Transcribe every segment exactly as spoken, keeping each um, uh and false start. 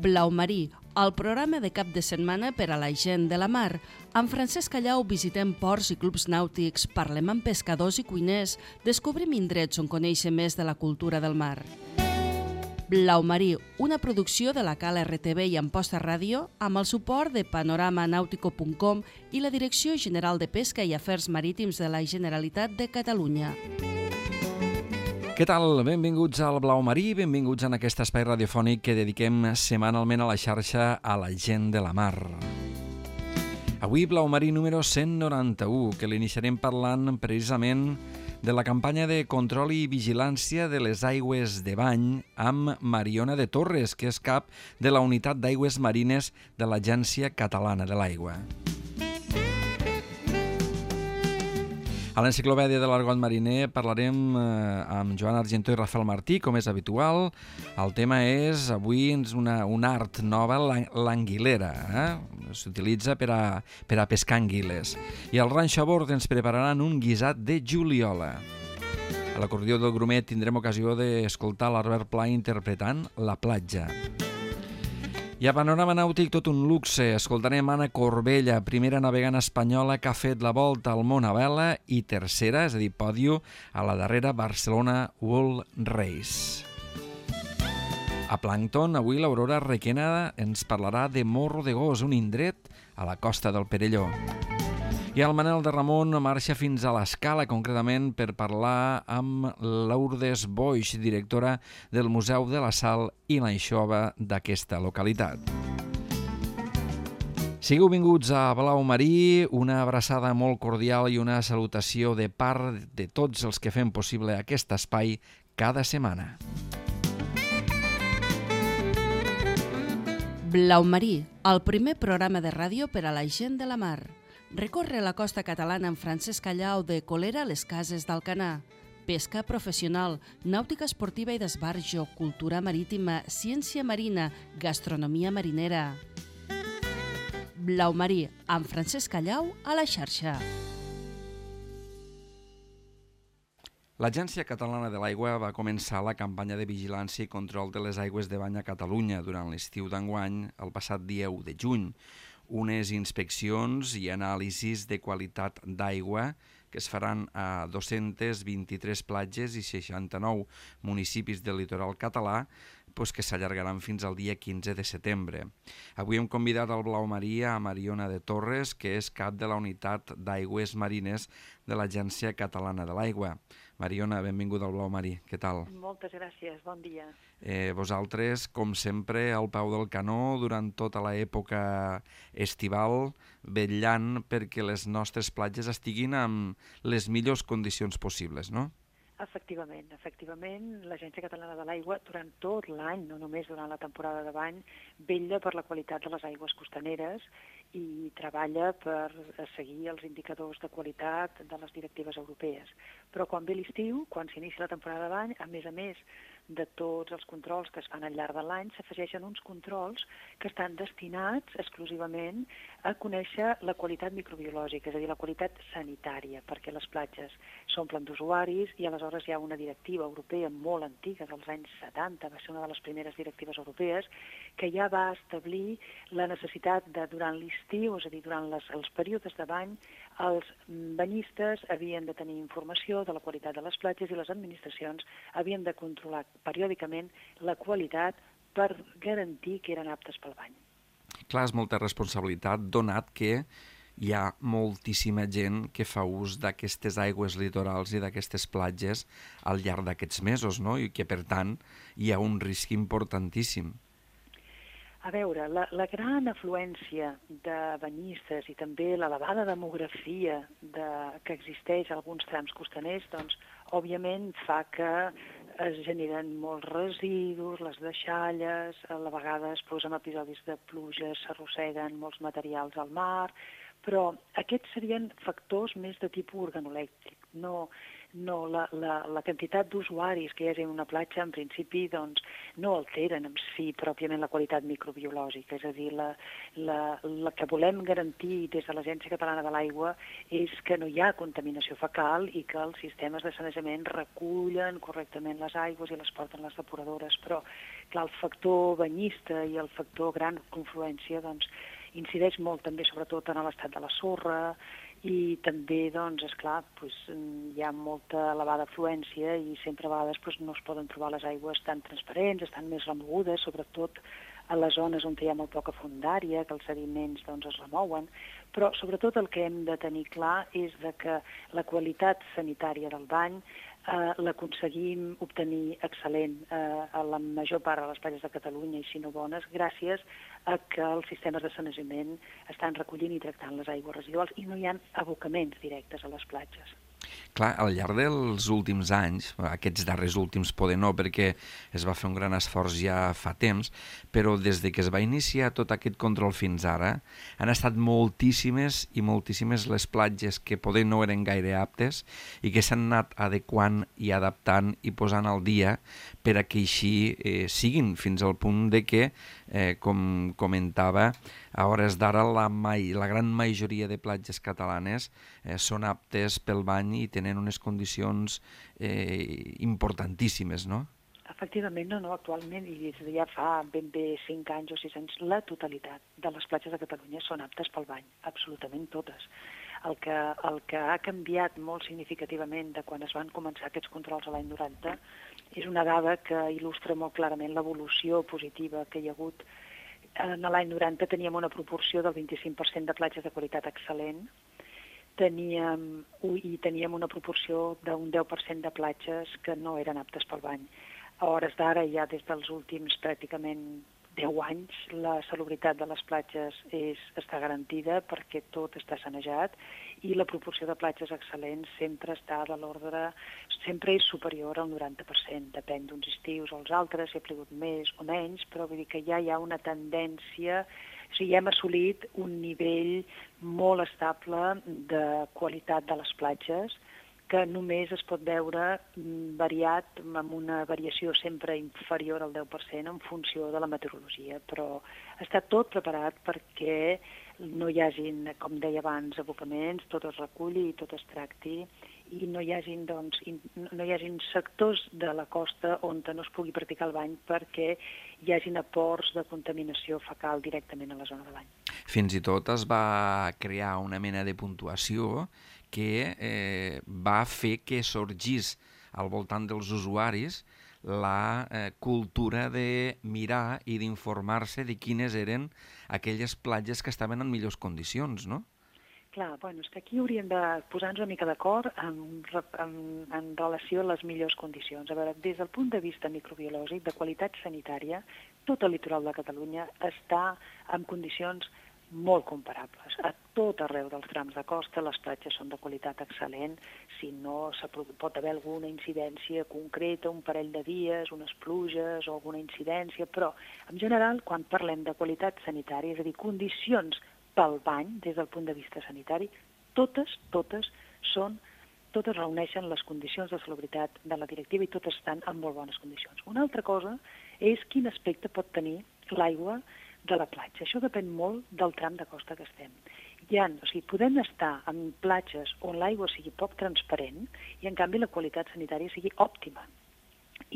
Blau Marí, el programa de cap de setmana per a la gent de la mar. Amb Francesc Callau visitem ports i clubs nàutics, parlem amb pescadors i cuiners, descobrim indrets on conèixer més de la cultura del mar. Blau Marí, una producció de la Cal R T V i Amposta Ràdio, amb el suport de panorama nàutico punt com i la Direcció General de Pesca i Afers Marítims de la Generalitat de Catalunya. Què tal? Benvinguts al Blau Marí, benvinguts en aquest espai radiofònic que dediquem setmanalment a la xarxa a la gent de la mar. Avui Blau Marí número cent noranta-u, que l'iniciarem parlant precisament de la campanya de control i vigilància de les aigües de bany amb Mariona de Torres, que és cap de la Unitat d'Aigües Marines de l'Agència Catalana de l'Aigua. A l'Enciclopèdia de l'Argot Mariner parlarem eh, amb Joan Argentó i Rafael Martí, com és habitual. El tema és, avui, una, una art nova, l'anguilera. Eh? S'utilitza per a, per a pescar anguiles. I al Ranxo a Bord ens prepararan un guisat de juliola. A l'acordió del Grumet tindrem ocasió d'escoltar l'Albert Pla interpretant La platja. I a Panorama Nàutic tot un luxe. Escoltarem Anna Corbella, primera navegant espanyola que ha fet la volta al món a vela i tercera, és a dir, pòdio, a la darrera Barcelona World Race. A Plàncton, avui l'Aurora Requena ens parlarà de Morro de Gos, un indret a la costa del Perelló. I el Manel de Ramon marxa fins a l'Escala, concretament per parlar amb Lourdes Boix, directora del Museu de la Sal i l'Anxova d'aquesta localitat. Sigueu benvinguts a Blau Marí, una abraçada molt cordial i una salutació de part de tots els que fem possible aquest espai cada setmana. Blau Marí, el primer programa de ràdio per a la gent de la mar. Recorre la costa catalana amb Francesc Callau de Colera a les Cases d'Alcanar. Pesca professional, nàutica esportiva i d'esbarjo, cultura marítima, ciència marina, gastronomia marinera. Blau Marí, amb Francesc Callau a la xarxa. L'Agència Catalana de l'Aigua va començar la campanya de vigilància i control de les aigües de bany a Catalunya durant l'estiu d'enguany, el passat dia u de juny. Unes inspeccions i anàlisis de qualitat d'aigua que es faran a dos-centes vint-i-tres platges i seixanta-nou municipis del litoral català, doncs que s'allargaran fins al dia quinze de setembre. Avui hem convidat al Blau Marí a Mariona de Torres, que és cap de la Unitat d'Aigües Marines de l'Agència Catalana de l'Aigua. Mariona, benvinguda al Blau Marí. Què tal? Moltes gràcies, bon dia. Eh, vosaltres, com sempre, al peu del canó durant tota l'època estival, vetllant perquè les nostres platges estiguin en les millors condicions possibles, no? Efectivament, efectivament, l'Agència Catalana de l'Aigua durant tot l'any, no només durant la temporada de bany, vetlla per la qualitat de les aigües costaneres i treballa per seguir els indicadors de qualitat de les directives europees. Però quan ve l'estiu, quan s'inicia la temporada de bany, a més a més de tots els controls que es fan al llarg de l'any, s'afegeixen uns controls que estan destinats exclusivament a conèixer la qualitat microbiològica, és a dir, la qualitat sanitària, perquè les platges s'omplen d'usuaris i aleshores hi ha una directiva europea molt antiga, dels anys setanta, va ser una de les primeres directives europees, que ja va establir la necessitat de, durant l'estiu, és a dir, durant les, els períodes de bany, els banyistes havien de tenir informació de la qualitat de les platges i les administracions havien de controlar periòdicament la qualitat per garantir que eren aptes pel bany. Clar, és molta responsabilitat, donat que hi ha moltíssima gent que fa ús d'aquestes aigües litorals i d'aquestes platges al llarg d'aquests mesos, no? I que, per tant, hi ha un risc importantíssim. A veure, la, la gran afluència de banyistes i també l'elevada demografia de, que existeix a alguns trams costaners, doncs, òbviament fa que es generen molts residus, les deixalles, a la vegades doncs, en episodis de pluja s'arrosseguen molts materials al mar, però aquests serien factors més de tipus organolèctric. No, no la, la, la quantitat d'usuaris que hi hagi en una platja, en principi, doncs, no alteren en si pròpiament la qualitat microbiològica. És a dir, la, la, la que volem garantir des de l'Agència Catalana de l'Aigua és que no hi ha contaminació fecal i que els sistemes de sanejament recullen correctament les aigües i les porten les depuradores. Però, clar, el factor banyista i el factor gran confluència, doncs, incideix molt també, sobretot, en l'estat de la sorra, i també, doncs, esclar, doncs, hi ha molta elevada afluència i sempre a vegades doncs, no es poden trobar les aigües tan transparents, estan més remogudes, sobretot a les zones on hi ha molt poca fondària, que els sediments doncs, es remouen, però sobretot el que hem de tenir clar és de que la qualitat sanitària del bany eh, l'aconseguim obtenir excel·lent eh, a la major part de les platges de Catalunya, i si no bones, gràcies a que els sistemes de sanejament estan recollint i tractant les aigües residuals i no hi ha abocaments directes a les platges. Clar, al llarg dels últims anys, aquests darrers últims poder no, perquè es va fer un gran esforç ja fa temps, però des de que es va iniciar tot aquest control fins ara, han estat moltíssimes i moltíssimes les platges que poder no eren gaire aptes i que s'han anat adequant i adaptant i posant al dia per a que així eh, siguin, fins al punt de que, eh, com comentava, a hores d'ara la, mai, la gran majoria de platges catalanes eh, són aptes pel bany i tenen unes condicions eh, importantíssimes, no? Efectivament, no, no, actualment, i des de ja fa ben bé cinc anys o sis anys, la totalitat de les platges de Catalunya són aptes pel bany, absolutament totes. El que, el que ha canviat molt significativament de quan es van començar aquests controls a l'any noranta és una dada que il·lustra molt clarament l'evolució positiva que hi ha hagut. En l'any noranta teníem una proporció del vint-i-cinc per cent de platges de qualitat excel·lent, teníem, i teníem una proporció d'un deu per cent de platges que no eren aptes pel bany. A hores d'ara, ja des dels últims pràcticament deu anys, la salubritat de les platges és, està garantida perquè tot està sanejat i la proporció de platges excel·lents sempre està de l'ordre, sempre és superior al noranta per cent. Depèn d'uns estius o els altres, si ha plogut més o menys, però vull dir que ja hi ha una tendència, o sigui, hem assolit un nivell molt estable de qualitat de les platges que només es pot veure variat, amb una variació sempre inferior al deu per cent en funció de la meteorologia, però està tot preparat perquè no hi hagin, com deia abans, abocaments, tot es reculli i tot es tracti, i no hi hagin, doncs, no hi hagin sectors de la costa on no es pugui practicar el bany perquè hi hagin aports de contaminació fecal directament a la zona de bany. Fins i tot es va crear una mena de puntuació que eh, va fer que sorgís al voltant dels usuaris la eh, cultura de mirar i d'informar-se de quines eren aquelles platges que estaven en millors condicions, no? Clar, bueno, és que aquí hauríem de posar-nos una mica d'acord en, en, en relació a les millors condicions. A veure, des del punt de vista microbiològic, de qualitat sanitària, tot el litoral de Catalunya està en condicions molt comparables. A tot arreu dels trams de costa les platges són de qualitat excel·lent, si no pot haver alguna incidència concreta, un parell de dies, unes pluges o alguna incidència, però en general quan parlem de qualitat sanitària, és a dir, condicions pel bany des del punt de vista sanitari, totes, totes són, totes reuneixen les condicions de salubritat de la directiva i totes estan en molt bones condicions. Una altra cosa és quin aspecte pot tenir l'aigua de la platja. Això depèn molt del tram de costa que estem. Hi ha, o sigui, podem estar en platges on l'aigua sigui poc transparent i en canvi la qualitat sanitària sigui òptima.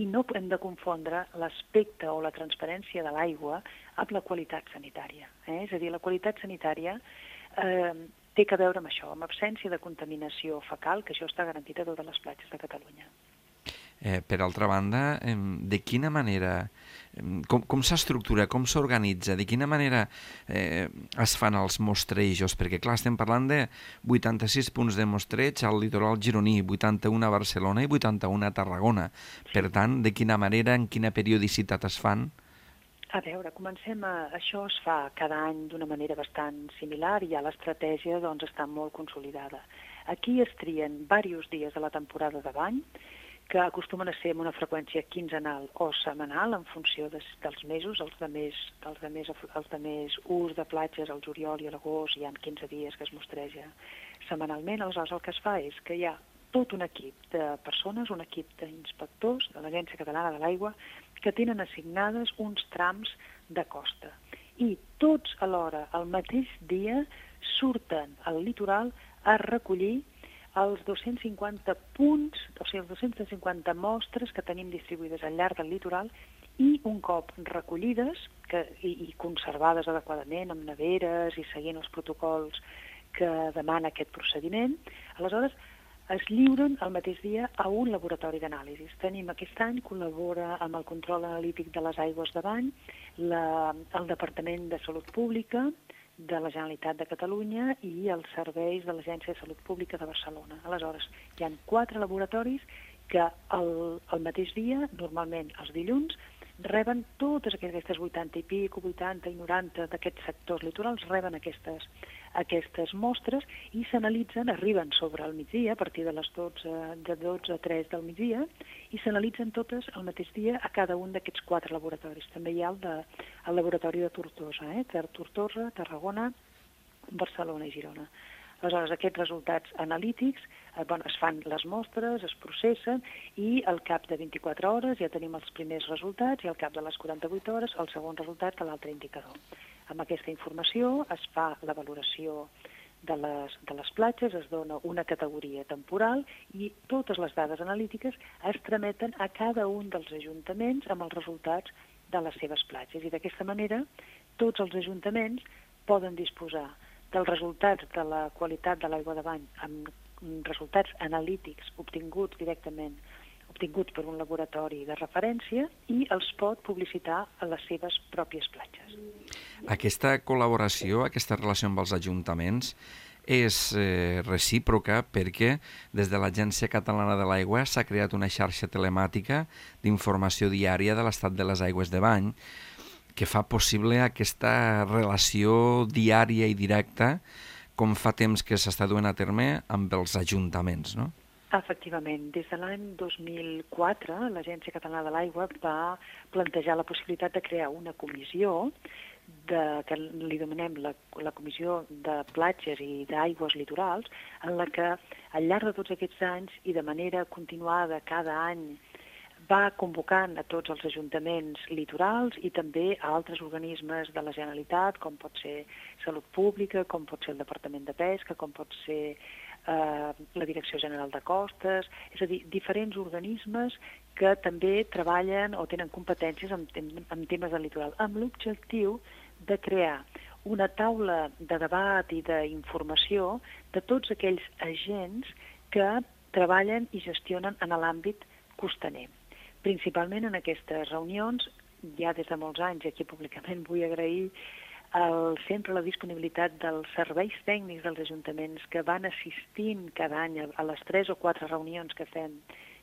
I no hem de confondre l'aspecte o la transparència de l'aigua amb la qualitat sanitària. Eh? És a dir, la qualitat sanitària eh, té que veure amb això, amb absència de contaminació fecal, que això està garantit a totes les platges de Catalunya. Eh, per altra banda, eh, de quina manera, eh, com, com s'estructura, com s'organitza, de quina manera eh, es fan els mostrejos? Perquè, clar, estem parlant de vuitanta-sis punts de mostreig al litoral gironí, vuitanta-un a Barcelona i vuitanta-un a Tarragona. Sí. Per tant, de quina manera, en quina periodicitat es fan? A veure, comencem a... Això es fa cada any d'una manera bastant similar i ja l'estratègia doncs, està molt consolidada. Aquí es trien diversos dies de la temporada de bany, que acostumen a ser amb una freqüència quinzenal o setmanal en funció de, dels mesos, els de, més, els, de més, els de més ús de platges, al juliol i a l'agost, hi ha quinze dies que es mostreja setmanalment. Aleshores el que es fa és que hi ha tot un equip de persones, un equip d'inspectors de l'Agència Catalana de l'Aigua que tenen assignades uns trams de costa. I tots alhora, al mateix dia, surten al litoral a recollir els dos-cents cinquanta punts, o sigui, els dos-cents cinquanta mostres que tenim distribuïdes al llarg del litoral i un cop recollides que, i, i conservades adequadament amb neveres i seguint els protocols que demana aquest procediment, aleshores es lliuren el mateix dia a un laboratori d'anàlisis. Tenim aquest any, col·labora amb el control analític de les aigües de bany, la, el Departament de Salut Pública de la Generalitat de Catalunya i els serveis de l'Agència de Salut Pública de Barcelona. Aleshores, hi ha quatre laboratoris que el, el mateix dia, normalment els dilluns, reben totes aquestes vuitanta i pico, vuitanta i noranta d'aquests sectors litorals, reben aquestes, aquestes mostres i s'analitzen, arriben sobre el migdia, a partir de les dotze, de dotze a tres del migdia, i s'analitzen totes al mateix dia a cada un d'aquests quatre laboratoris. També hi ha el, de, el laboratori de Tortosa, eh? Tortosa, Tarragona, Barcelona i Girona. Aleshores, aquests resultats analítics, eh, bueno, es fan les mostres, es processen i al cap de vint-i-quatre hores ja tenim els primers resultats i al cap de les quaranta-vuit hores el segon resultat de l'altre indicador. Amb aquesta informació es fa la valoració de les, de les platges, es dona una categoria temporal i totes les dades analítiques es trameten a cada un dels ajuntaments amb els resultats de les seves platges. I d'aquesta manera tots els ajuntaments poden disposar dels resultats de la qualitat de l'aigua de bany amb resultats analítics obtinguts directament, obtinguts per un laboratori de referència i els pot publicitar a les seves pròpies platges. Aquesta col·laboració, aquesta relació amb els ajuntaments és eh, recíproca perquè des de l'Agència Catalana de l'Aigua s'ha creat una xarxa telemàtica d'informació diària de l'estat de les aigües de bany que fa possible aquesta relació diària i directa com fa temps que s'està duent a terme amb els ajuntaments, no? Efectivament. Des de l'any dos mil quatre, l'Agència Catalana de l'Aigua va plantejar la possibilitat de crear una comissió de, que li demanem la, la Comissió de Platges i d'Aigües Litorals, en la que al llarg de tots aquests anys i de manera continuada cada any va convocant a tots els ajuntaments litorals i també a altres organismes de la Generalitat, com pot ser Salut Pública, com pot ser el Departament de Pesca, com pot ser eh, la Direcció General de Costes, és a dir, diferents organismes que també treballen o tenen competències en, en, en temes del litoral, amb l'objectiu de crear una taula de debat i d'informació de tots aquells agents que treballen i gestionen en l'àmbit costaner. Principalment en aquestes reunions, ja des de molts anys, i aquí públicament vull agrair el, sempre la disponibilitat dels serveis tècnics dels ajuntaments que van assistint cada any a les tres o quatre reunions que fem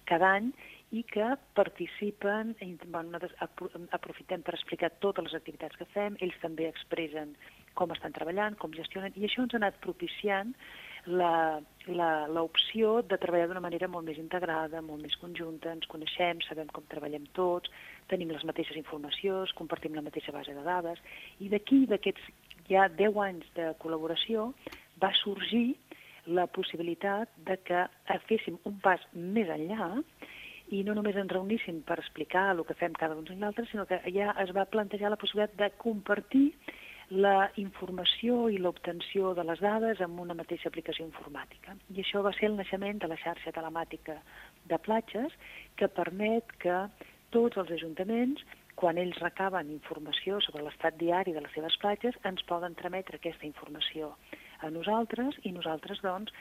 cada any i que participen, i, bueno, aprofitem per explicar totes les activitats que fem, ells també expressen com estan treballant, com gestionen, i això ens ha anat propiciant l'opció de treballar d'una manera molt més integrada, molt més conjunta, ens coneixem, sabem com treballem tots, tenim les mateixes informacions, compartim la mateixa base de dades, i d'aquí, d'aquests ja deu anys de col·laboració, va sorgir la possibilitat de que féssim un pas més enllà i no només ens reuníssim per explicar el que fem cada un i l'altre, sinó que ja es va plantejar la possibilitat de compartir la informació i l'obtenció de les dades amb una mateixa aplicació informàtica. I això va ser el naixement de la xarxa telemàtica de platges que permet que tots els ajuntaments, quan ells recaben informació sobre l'estat diari de les seves platges, ens poden trametre aquesta informació a nosaltres i nosaltres, doncs,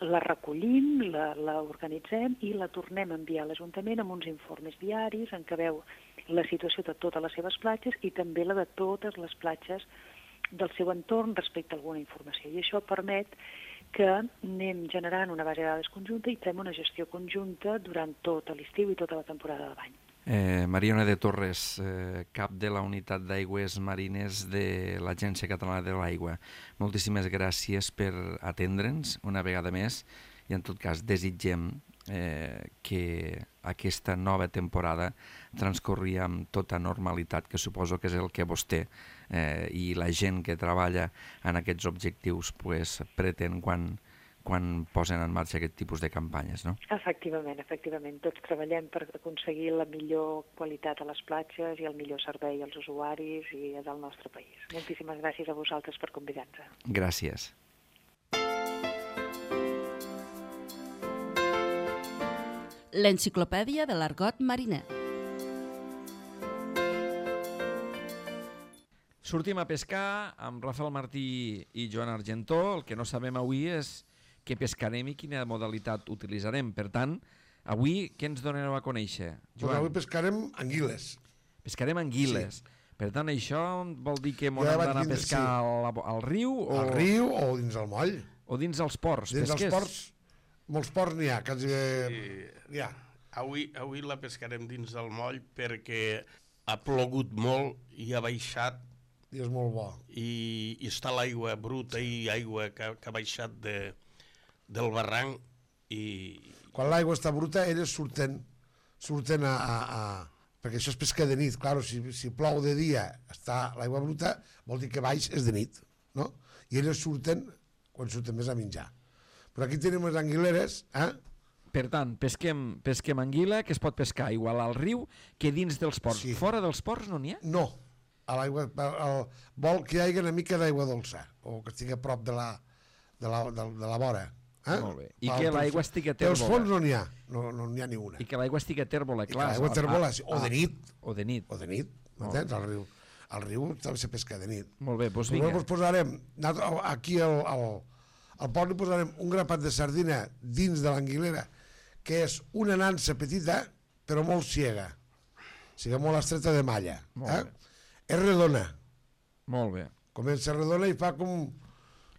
la recollim, la, la organitzem i la tornem a enviar a l'Ajuntament amb uns informes diaris en què veu la situació de totes les seves platges i també la de totes les platges del seu entorn respecte a alguna informació. I això permet que anem generant una base de dades conjunta i fem una gestió conjunta durant tot l'estiu i tota la temporada de bany. Eh, Mariona de Torres, eh, cap de la Unitat d'Aigües Marines de l'Agència Catalana de l'Aigua. Moltíssimes gràcies per atendre'ns una vegada més i en tot cas desitgem eh, que aquesta nova temporada transcorri amb tota normalitat, que suposo que és el que vostè eh, i la gent que treballa en aquests objectius pues, pretén quan, quan posen en marxa aquest tipus de campanyes, no? Efectivament, efectivament. Tots treballem per aconseguir la millor qualitat a les platges i el millor servei als usuaris i del nostre país. Moltíssimes gràcies a vosaltres per convidar-nos. Gràcies. L'enciclopèdia de l'argot mariner. Sortim a pescar amb Rafael Martí i Joan Argentó. El que no sabem avui és què pescarem i quina modalitat utilitzarem. Per tant, avui què ens donareu a conèixer? Joan? Pues avui pescarem anguiles. Pescarem anguiles. Sí. Per tant, això vol dir que hem ja d'anar a pescar sí. al, al riu? O... Al riu o dins el moll. O dins els ports. Dins pesquers. els ports, molts ports n'hi ha. Quasi... Sí. N'hi ha. Avui, avui la pescarem dins del moll perquè ha plogut molt i ha baixat. I és molt bo. I, i està l'aigua bruta i aigua que, que ha baixat de, del barranc. I... Quan l'aigua està bruta, elles surten, surten a, a, a... Perquè això és pesca de nit. Claro, si, si plou de dia, està l'aigua bruta, vol dir que baix és de nit, no? I elles surten quan surten més a menjar. Però aquí tenim les anguileres, eh? Per tant, pesquem, pesquem anguila, que es pot pescar igual al riu que dins dels ports. Sí. Fora dels ports no n'hi ha? No. A l'aigua, el, vol que hi hagi una mica d'aigua dolça, o que estigui a prop de la, de la, de, de la vora. Eh? Molt bé. I que l'aigua estigui a tèrbola. Els fons no n'hi ha, no n'hi no ha ni una. I que l'aigua estigui a tèrbola, clar. I que l'aigua a tèrbola, o de nit. O de nit. O de nit, m'entens? Al riu. Al riu també se pesca de nit. Molt bé, doncs vinga. Llavors posarem, aquí al, al, al port li posarem un grapat de sardina dins de l'anguilera, que és una nansa petita, però molt ciega. O sigui, molt estreta de malla. Eh? És redona. Molt bé. Comença redona i fa com,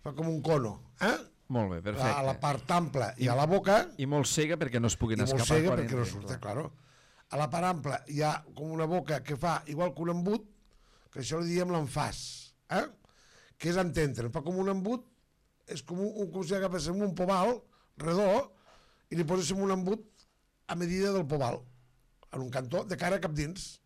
fa com un cono. Eh? Molt bé, perfecte. A la part ampla i a la boca. I molt cega perquè no es puguin escapar. I molt cega perquè no surta, claro. A la part ampla hi ha com una boca que fa igual que un embut, que això li diem l'enfàs, eh? Que és entendre. Fa com un embut, és com, un, com si agaféssim un poval redó i li poséssim un embut a medida del poval, en un cantó, de cara cap dins.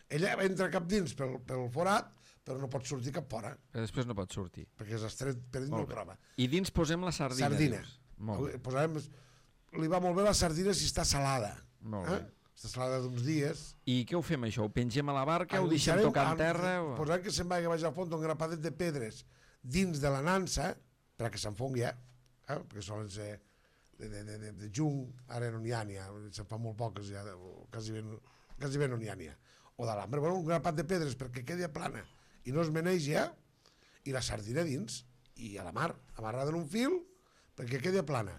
Ella entra cap dins pel, pel forat, però no pot sortir cap fora. Però després no pot sortir. Perquè és estret, per dins no el troba. I dins posem la sardina. Sardina. Molt bé. Posarem, li va molt bé la sardina si està salada. Molt bé. Eh? Està salada d'uns dies. I què ho fem, això? Ho pengem a la barca, ho deixem tocar en terra? O... Posarem que se'n vagi baix al fons un grapadet de pedres dins de la nansa, perquè s'enfongui, eh? eh? Perquè solen ser de, de, de, de, de jung, ara no n'hi ha, n'hi ha, se'n fa molt poques ja, quasi bé, quasi bé no n'hi ha, n'hi ha. O de l'ambre, bueno, un grapat de pedres perquè quedi plana i no es menegi, eh? I la sardina dins, i a la mar, amarrada en un fil, perquè quedi plana.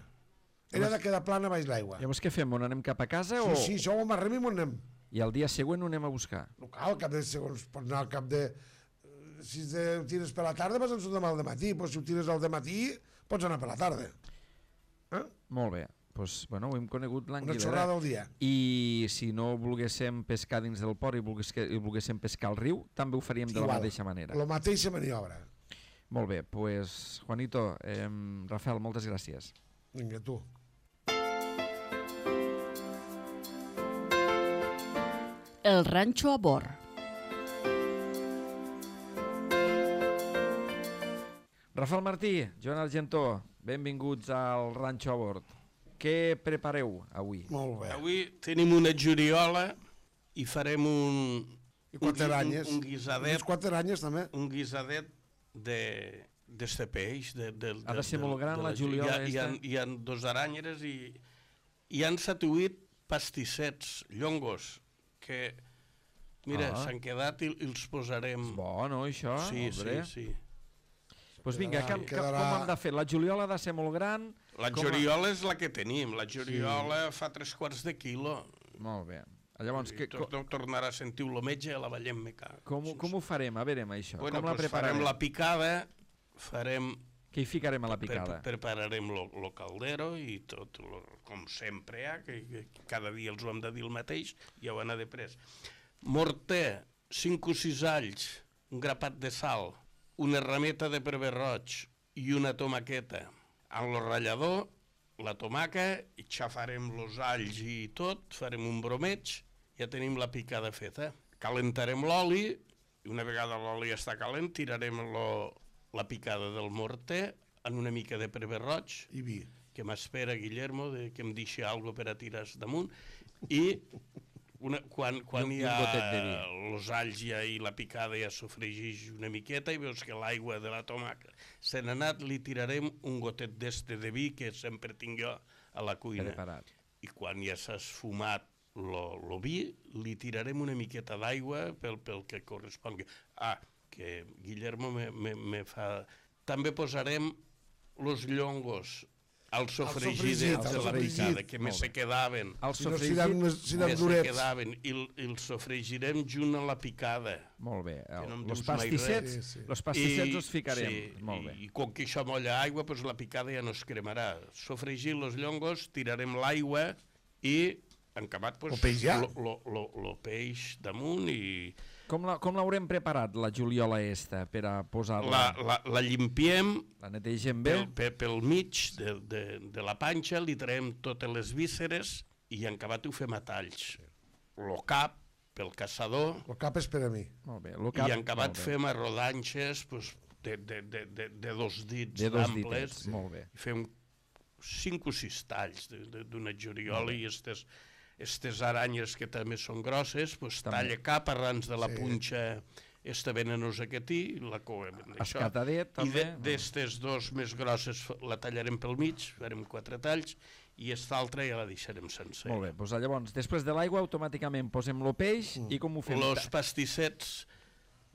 Ella ha de quedar plana baix l'aigua. Llavors què fem? On anem cap a casa? Sí, o... sí, això ho amarrem i m'ho anem. I el dia següent ho anem a buscar? No cal, al cap de segons, pots anar al cap de... Si ho tires per la tarda, vas a demà al dematí, però si ho tires al dematí, pots anar per la tarda. Eh? Molt bé. Pues, bueno, ho hem conegut l'anguilera. Una xorrada al dia. I si no volguéssim pescar dins del port i volguéssim pescar al riu, també ho faríem de Igual, la mateixa manera. La mateixa maniobra. Molt bé, pues, Juanito, eh, Rafael, moltes gràcies. Vinga, tu. El ranxo a bord. Rafael Martí, Joan Argentó, benvinguts al ranxo a bord. Què prepareu avui? Molt bé. Avui tenim una juriola i farem un, I quatre un, aranyes. un, un guisadet. Unes quatre aranyes, també. Un guisadet de d'este peix. De, de, ha de ser de, molt gran, de la, la juliola. Hi ha, hi, ha, hi ha dos aranyeres i hi han set o vuit pastissets, llongos, que, mira, ah. s'han quedat i, i els posarem... És bo, no, això? Sí, Obre. sí, sí. Doncs pues vinga, quedarà, que, quedarà... com hem de fer? La juliola ha de ser molt gran? La juliola és la que tenim. La juliola sí. fa tres quarts de quilo. Molt bé. Llavors, que... Tot tornarà a sentir el metge a la vellem meca. Com, com ho farem? A veure, això. Bueno, com la pues prepararem? Farem la picada, farem... Què hi ficarem a la picada? Pre prepararem el caldero i tot, lo, com sempre, eh, que, que cada dia els ho hem de dir el mateix, ja ho anar de pres. Morter, cinc o sis alls, un grapat de sal, una rameta de prever roig i una tomaqueta. En el ratllador, la tomaca, i xafarem els alls i tot, farem un bromeig, ja tenim la picada feta. Calentarem l'oli, i una vegada l'oli està calent, tirarem lo, la picada del morter amb una mica de prever roig, I vi. que m'espera Guillermo, de, que em deixi alguna per a tirar damunt, i una, quan, quan I un- hi i un ha gotet de vi. els alls ja i la picada ja sofregeix una miqueta i veus que l'aigua de la tomaca se n'ha anat, li tirarem un gotet d'este de vi que sempre tinc jo a la cuina. Preparat. I quan ja s'ha esfumat el vi, li tirarem una miqueta d'aigua pel, pel que correspongui. Ah, que Guillermo me, me, me fa... També posarem los llongos al sofregit sofregit, de al la sofregit. picada, que me Molt se bé. quedaven. El Si no, si sofregit... dan, si dan Me se durets. quedaven i, el- i el sofregirem junt a la picada. Molt bé. Que no em Els dius mai pastissets, res. Sí, sí. los pastissets els ficarem. Sí, Molt bé. i, i com que això molla aigua, doncs la picada ja no es cremarà. Sofregir los llongos, tirarem l'aigua i encamat doncs, El peix ja? lo, lo, lo, lo peix damunt i Com la- com l'haurem preparat, la juliola esta, per a posar-la? la, la, la llimpiem La netegem bé? pel, pel, pel mig de, de, de la panxa, li traiem totes les vísceres i encabat ho fem a talls. Lo cap, pel caçador, El cap és per a mi. Molt bé. Lo cap, i encabat molt bé. fem a rodanxes pues, de, de, de, de, de dos dits De dos amples. ditets, molt bé. I fem cinc o sis talls de- de- d'una joriola i estes, estes aranyes que també són grosses, pues, També. talla cap arrans de la Sí. punxa esta venenosa que té, la coem d'això. Escatadet, I també. de- d'estes dos més grosses f- la tallarem pel mig, farem quatre talls, i esta altra ja la deixarem sencer. Molt bé, doncs llavors, després de l'aigua, automàticament posem el peix i com ho fem? Los pastissets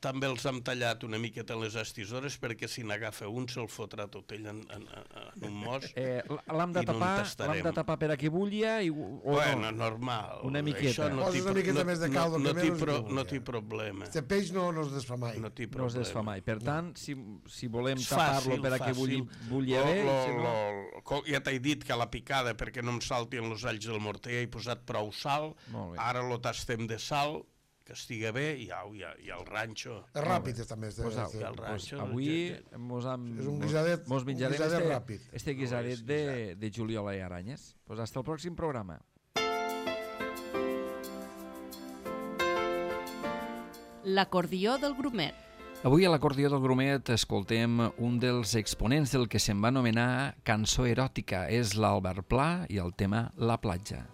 també els hem tallat una miqueta en les estisores perquè si n'agafa un se'l fotrà tot ell en, en, en un mos. Eh, l'hem de I no en tapar, tastarem. l'hem de tapar per a que bullia i, o Bueno, no? normal. Una miqueta. Això no Poses té una pro- miqueta no- més de no- caldo, no que té menys pro- que No vulgui. té problema. Este peix no, no es desfà mai. No té No es problema. desfà mai. Per tant, si, si volem És tapar-lo fàcil, per a que fàcil. bulli, bulli Lo- bé, lo- si no... lo- co- ja t'he dit que a la picada, perquè no em saltin els alls del morter, he posat prou sal, Molt bé. ara lo tastem de sal, que estigui bé, i au, i, i el ranxo. És ràpid, també. Este, Pues, au, este. I el pues, ranxo, avui ja- mos, am, És un mos- guisadet- mos un menjarem guisadet este, ràpid. este guisadet de, de juliola i aranyes. Pues hasta el pròxim programa. L'acordió del grumet. Avui a l'acordió del Grumet escoltem un dels exponents del que se'n va anomenar cançó eròtica. És l'Albert Pla i el tema La platja.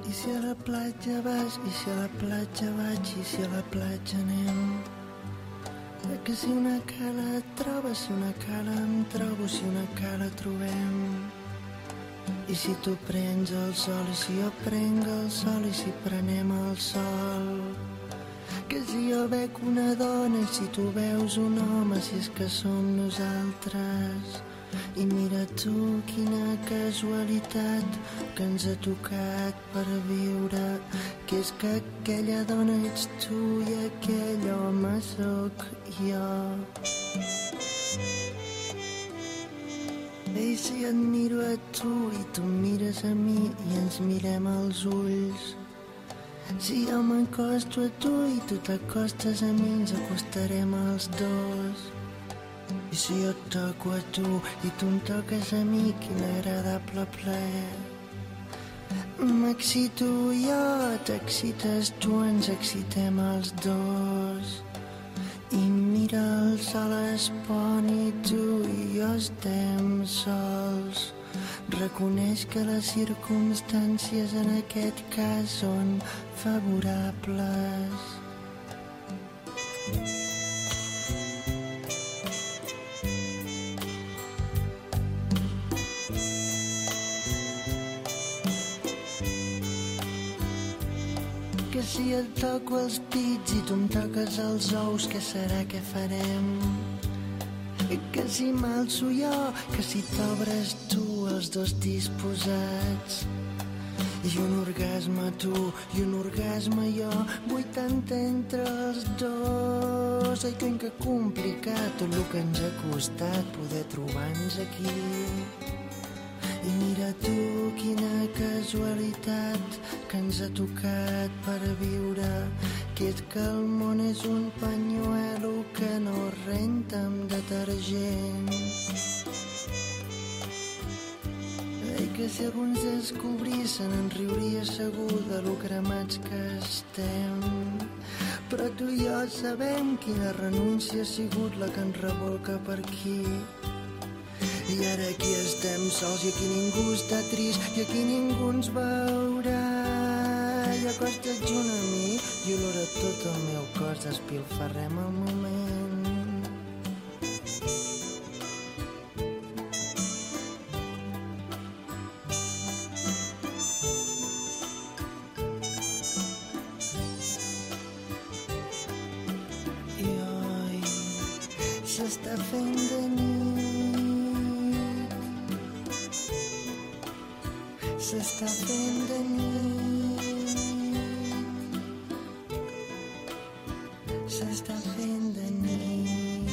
I si a la platja vas, i si a la platja vaig, i si a la platja anem. Eh, que si una cala et trobes, si una cala em trobo, si una cala trobem. I si tu prens el sol, i si jo prenc el sol, i si prenem el sol. Que si jo veig una dona, i si tu veus un home, si és que som nosaltres. I mira tu, quina casualitat que ens ha tocat per viure, que és que aquella dona ets tu i aquell home sóc jo. I si et miro a tu i tu em mires a mi i ens mirem als ulls, si jo m'acosto a tu i tu t'acostes a mi, ens acostarem els dos. I si jo et toco a tu i tu em toques a mi, quin agradable plaer. M'excito jo, t'excites tu, ens excitem els dos. I mira el sol es pon i tu i jo estem sols. Reconeix que les circumstàncies en aquest cas són favorables. Que si et toco els pits i tu em toques els ous, què serà que farem? Que si m'alço jo, que si t'obres tu, els dos disposats. I un orgasme tu i un orgasme jo, vuitanta entre els dos. Ai, que complicat tot el que ens ha costat poder trobar-nos aquí. I mira tu, quina casualitat que ens ha tocat per viure, que és que el món és un panyuelo que no renta amb detergent. Ai, que que si alguns descobrissin en riuria segur de lo cremats que estem. Però tu i jo sabem quina renúncia ha sigut la que ens revolca per aquí. I ara aquí estem sols i aquí ningú està trist i aquí ningú ens veurà. I acosta't junt a mi i olora tot el meu cos, despilfarrem el moment. S'està fent de nit, s'està fent de nit, s'està fent de nit.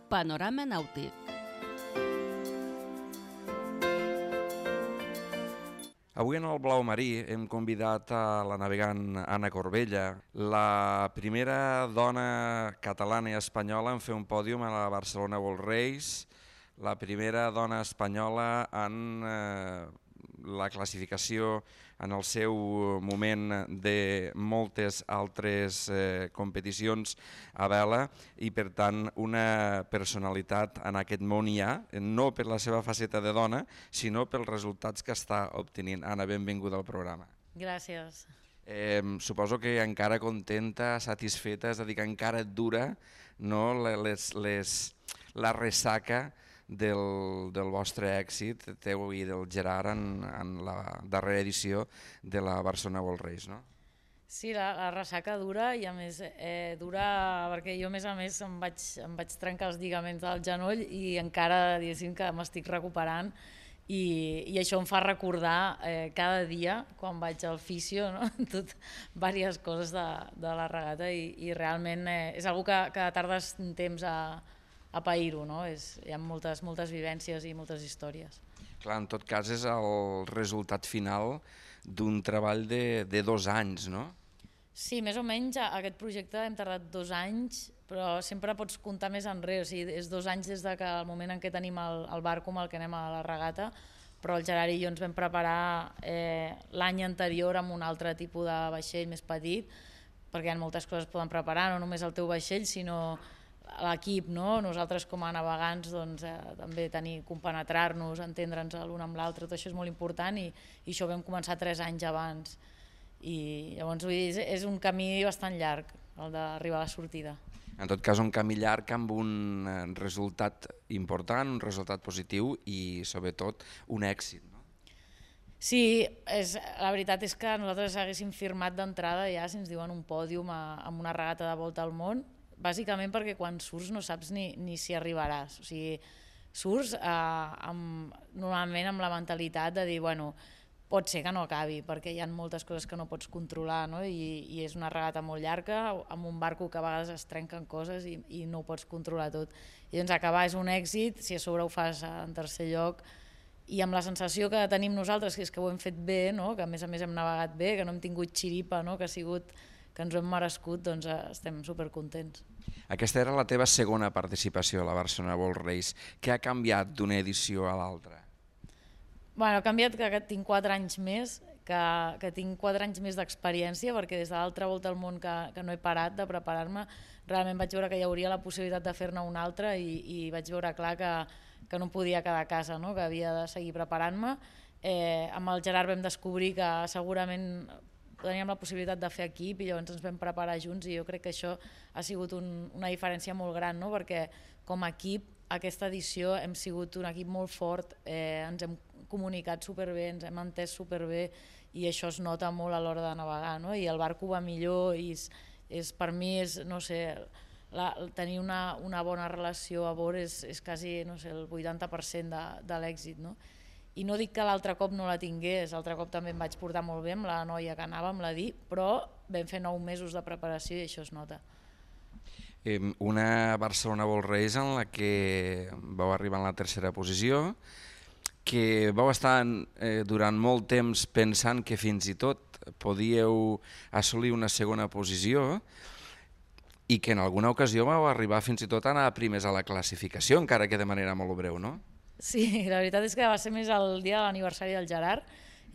Panorama nàutic. Avui en el Blau Marí hem convidat a la navegant Anna Corbella, la primera dona catalana i espanyola en fer un pòdium a la Barcelona World Race, la primera dona espanyola en eh, la classificació en el seu moment de moltes altres eh, competicions a vela i per tant una personalitat en aquest món hi ha, no per la seva faceta de dona, sinó pels resultats que està obtenint. Anna, benvinguda al programa. Gràcies. Eh, suposo que encara contenta, satisfeta, és a dir, que encara et dura no, les, les, la ressaca Del, del vostre èxit teu i del Gerard en, en la darrera edició de la Barcelona World Race, no? Sí, la, la ressaca dura i a més eh, dura perquè jo a més a més em vaig, em vaig trencar els lligaments del genoll i encara diguéssim que m'estic recuperant i, i això em fa recordar eh, cada dia quan vaig al fisio, no? Tot, diverses coses de, de la regata i, i realment eh, és una que, que tardes un temps a a pair-ho, no? És, hi ha moltes, moltes vivències i moltes històries. Clar, en tot cas és el resultat final d'un treball de, de dos anys, no? Sí, més o menys aquest projecte hem tardat dos anys, però sempre pots comptar més enrere, o sigui, és dos anys des del de moment en què tenim el, el barco amb el que anem a la regata, però el Gerard i jo ens vam preparar eh, l'any anterior amb un altre tipus de vaixell més petit, perquè hi ha moltes coses que poden preparar, no només el teu vaixell, sinó l'equip, no? Nosaltres com a navegants doncs, eh, també tenir, compenetrar-nos, entendre'ns l'un amb l'altre, tot això és molt important i, i això ho vam començar tres anys abans i llavors vull dir, és un camí bastant llarg el d'arribar a la sortida. En tot cas un camí llarg amb un resultat important, un resultat positiu i sobretot un èxit, no? Sí, és, la veritat és que nosaltres haguéssim firmat d'entrada ja si ens diuen un pòdium a, amb una regata de volta al món, bàsicament perquè quan surts no saps ni, ni si arribaràs. O sigui, surts eh, amb, normalment amb la mentalitat de dir, bueno, pot ser que no acabi, perquè hi ha moltes coses que no pots controlar, no? I, i és una regata molt llarga, amb un barco que a vegades es trenquen coses i, i no ho pots controlar tot. I doncs acabar és un èxit, si a sobre ho fas en tercer lloc, i amb la sensació que tenim nosaltres, que és que ho hem fet bé, no? Que a més a més hem navegat bé, que no hem tingut xiripa, no? Que ha sigut que ens ho hem merescut, doncs estem supercontents. Aquesta era la teva segona participació a la Barcelona World Race. Què ha canviat d'una edició a l'altra? Bueno, ha canviat que tinc quatre anys més, que, que tinc quatre anys més d'experiència, perquè des de l'altra volta al món que, que no he parat de preparar-me, realment vaig veure que hi hauria la possibilitat de fer-ne una altra i, i vaig veure clar que, que no podia quedar a casa, no? Que havia de seguir preparant-me. Eh, amb el Gerard vam descobrir que segurament teníem la possibilitat de fer equip i llavors ens vam preparar junts i jo crec que això ha sigut un, una diferència molt gran, no? Perquè com a equip aquesta edició hem sigut un equip molt fort, eh, ens hem comunicat superbé, ens hem entès superbé i això es nota molt a l'hora de navegar, no? I el barco va millor i és, és, per mi és, no sé, la, tenir una, una bona relació a bord és, és quasi, no sé, el vuitanta per cent de, de l'èxit, no? I no dic que l'altre cop no la tingués, l'altre cop també em vaig portar molt bé amb la noia que anava, amb la Di, però vam fer nou mesos de preparació i això es nota. Una Barcelona World Race en la que vau arribar en la tercera posició, que vau estar eh, durant molt temps pensant que fins i tot podíeu assolir una segona posició i que en alguna ocasió vau arribar fins i tot a anar primers a la classificació, encara que de manera molt breu, no? Sí, la veritat és que va ser més el dia de l'aniversari del Gerard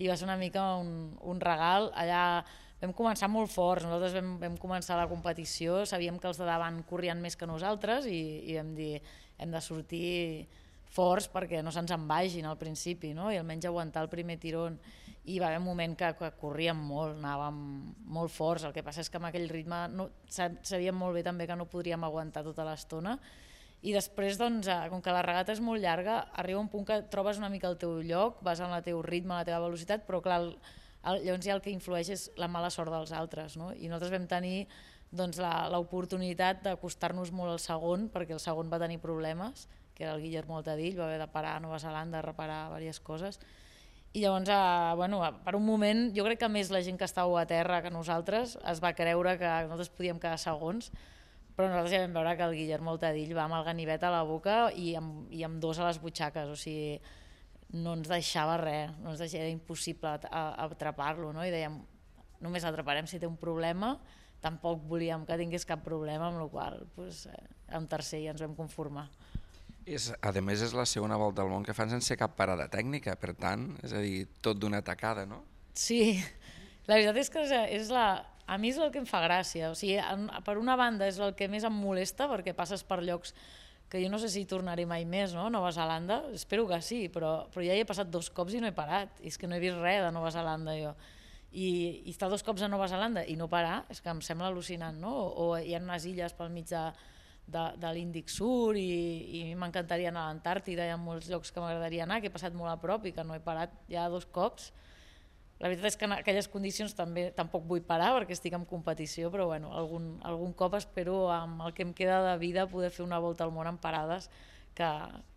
i va ser una mica un, un regal. Allà vam començar molt forts, nosaltres vam, vam començar la competició, sabíem que els de davant corrien més que nosaltres i, i vam dir hem de sortir forts perquè no se'ns en vagin al principi, no? I almenys aguantar el primer tirón. I va haver un moment que, que corríem molt, anàvem molt forts, el que passa és que amb aquell ritme no, sabíem molt bé també que no podríem aguantar tota l'estona. I després, doncs, com que la regata és molt llarga, arriba un punt que trobes una mica el teu lloc, vas amb el teu ritme, la teva velocitat, però clar, el, el, llavors ja el que influeix és la mala sort dels altres, no? I nosaltres vam tenir doncs, l'oportunitat d'acostar-nos molt al segon, perquè el segon va tenir problemes, que era el Guillermo Altadill, va haver de parar a Nova Zelanda a reparar diverses coses. I llavors, eh, bueno, per un moment, jo crec que més la gent que estava a terra que nosaltres es va creure que nosaltres podíem quedar segons, però nosaltres ja vam veure que el Guillermo Altadill va amb el ganivet a la boca i amb, i amb dos a les butxaques, o sigui, no ens deixava res, no ens deixava, era impossible atrapar-lo, no? I dèiem, només l'atraparem si té un problema, tampoc volíem que tingués cap problema, amb la qual cosa, doncs, en tercer ja ens vam conformar. És, a més, és la segona volta al món que fan sense cap parada tècnica, per tant, és a dir, tot d'una tacada, no? Sí, la veritat és que és la... A mi és el que em fa gràcia, o sigui, per una banda és el que més em molesta perquè passes per llocs que jo no sé si tornaré mai més, no? Nova Zelanda, espero que sí, però, però ja hi he passat dos cops i no he parat, i és que no he vist res de Nova Zelanda jo. I, i estar dos cops a Nova Zelanda i no parar, és que em sembla al·lucinant, no? O, o hi ha unes illes pel mig de, de, de l'Índic Sur i, i m'encantaria anar a l'Antàrtida, hi ha molts llocs que m'agradaria anar, que he passat molt a prop i que no he parat ja dos cops. La veritat és que en aquelles condicions també tampoc vull parar perquè estic en competició, però bueno, algun, algun cop espero amb el que em queda de vida poder fer una volta al món en parades que,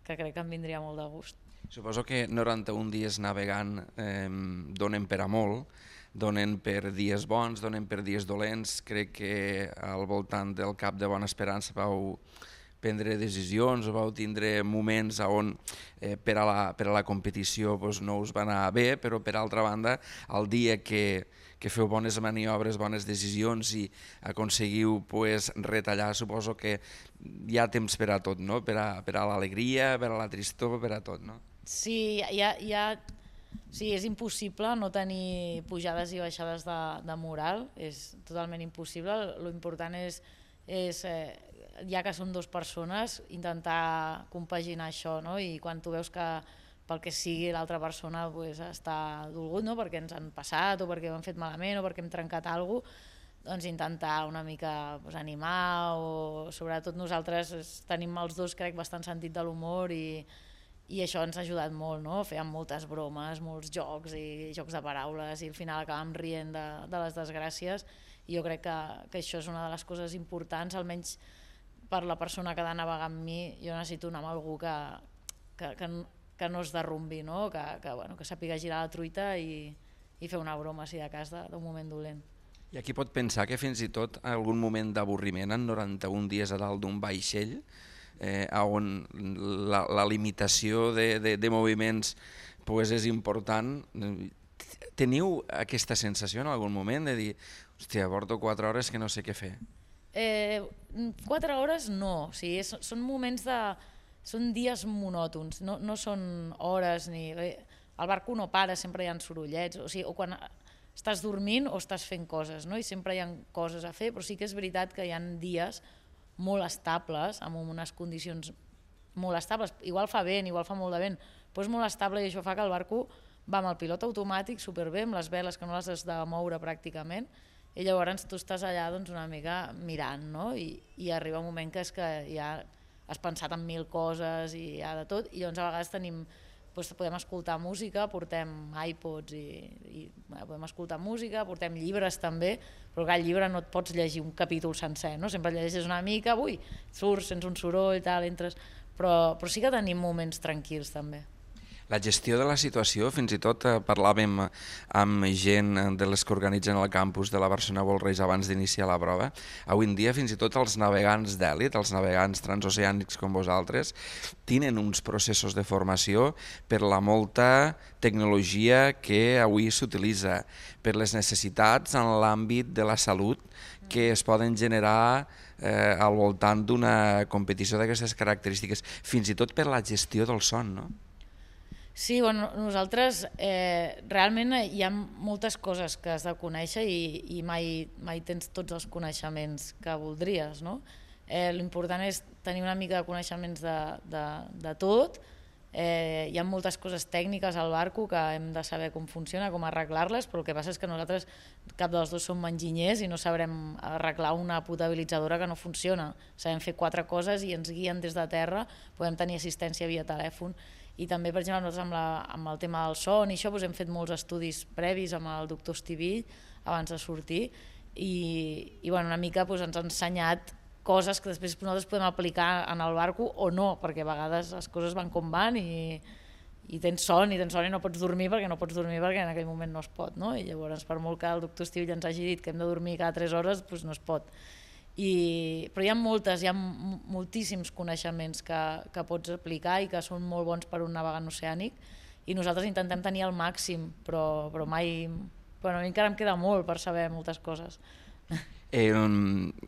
que crec que em vindria molt de gust. Suposo que noranta-un dies navegant eh, donen per a molt, donen per dies bons, donen per dies dolents. Crec que al voltant del Cap de Bona Esperança vau prendre decisions o vau tindre moments on eh, per, a la, per a la competició doncs, no us va anar bé, però per altra banda el dia que, que feu bones maniobres, bones decisions i aconseguiu pues, retallar, suposo que hi ha temps per a tot, no? Per a, per a l'alegria, per a la tristor, per a tot, no? Sí, hi ha, hi ha... sí, és impossible no tenir pujades i baixades de, de moral, és totalment impossible. Lo important és, és eh, ja que són dues persones, intentar compaginar això, no? I quan tu veus que pel que sigui l'altra persona pues, està dolgut, no? Perquè ens han passat o perquè ho han fet malament o perquè hem trencat alguna cosa, doncs intentar una mica pues, animar o sobretot nosaltres tenim els dos crec bastant sentit de l'humor i, i això ens ha ajudat molt, no? Fèiem moltes bromes, molts jocs i jocs de paraules i al final acabàvem rient de, de les desgràcies i jo crec que, que això és una de les coses importants, almenys per la persona que ha de navegar amb mi, jo necessito anar amb algú que, que, que, que no es derrumbi, no? Que, que, bueno, que sàpiga girar la truita i, i fer una broma si de cas d'un moment dolent. I aquí pot pensar que fins i tot algun moment d'avorriment en noranta-un dies a dalt d'un vaixell, eh, on la, la limitació de, de, de moviments pues, és important. Teniu aquesta sensació en algun moment de dir hòstia, porto quatre hores que no sé què fer? Eh, quatre hores no, o sigui, és, són moments de... són dies monòtons, no, no són hores ni... El barco no para, sempre hi ha sorollets, o sigui, o quan estàs dormint o estàs fent coses, no? I sempre hi ha coses a fer, però sí que és veritat que hi ha dies molt estables, amb unes condicions molt estables, igual fa vent, igual fa molt de vent, però és molt estable i això fa que el barco va amb el pilot automàtic superbé, amb les veles que no les has de moure pràcticament, i llavors tu estàs allà doncs, una mica mirant, no? I, i arriba un moment que és que ja has pensat en mil coses i ja de tot, i llavors a vegades tenim, doncs, podem escoltar música, portem iPods i, i bueno, podem escoltar música, portem llibres també, però que el llibre no et pots llegir un capítol sencer, no? Sempre llegeixes una mica, ui, surts, sents un soroll, tal, entres... Però, però sí que tenim moments tranquils també. La gestió de la situació, fins i tot eh, parlàvem amb gent de les que organitzen el campus de la Barcelona World Race abans d'iniciar la prova. Avui en dia fins i tot els navegants d'èlit, els navegants transoceànics com vosaltres, tenen uns processos de formació per la molta tecnologia que avui s'utilitza, per les necessitats en l'àmbit de la salut que es poden generar eh, al voltant d'una competició d'aquestes característiques, fins i tot per la gestió del son, no? Sí, bueno, nosaltres eh, realment hi ha moltes coses que has de conèixer i, i mai, mai tens tots els coneixements que voldries, no? Eh, l'important és tenir una mica de coneixements de, de, de tot. Eh, hi ha moltes coses tècniques al barco que hem de saber com funciona, com arreglar-les, però el que passa és que nosaltres, cap dels dos som enginyers i no sabrem arreglar una potabilitzadora que no funciona. Sabem fer quatre coses i ens guien des de terra, podem tenir assistència via telèfon. I també, per exemple, nosaltres amb, la, amb el tema del son i això doncs hem fet molts estudis previs amb el doctor Estivill abans de sortir i, i bueno, una mica doncs, ens ha ensenyat coses que després nosaltres podem aplicar en el barco o no, perquè a vegades les coses van com van i, i tens son i tens son i no pots dormir perquè no pots dormir perquè en aquell moment no es pot, no? I llavors per molt que el doctor Estivill ens hagi dit que hem de dormir cada tres hores, doncs no es pot. I, però hi ha moltes, hi ha moltíssims coneixements que, que pots aplicar i que són molt bons per un navegant oceànic i nosaltres intentem tenir el màxim, però, però mai... Bueno, a mi encara em queda molt per saber moltes coses. Eh,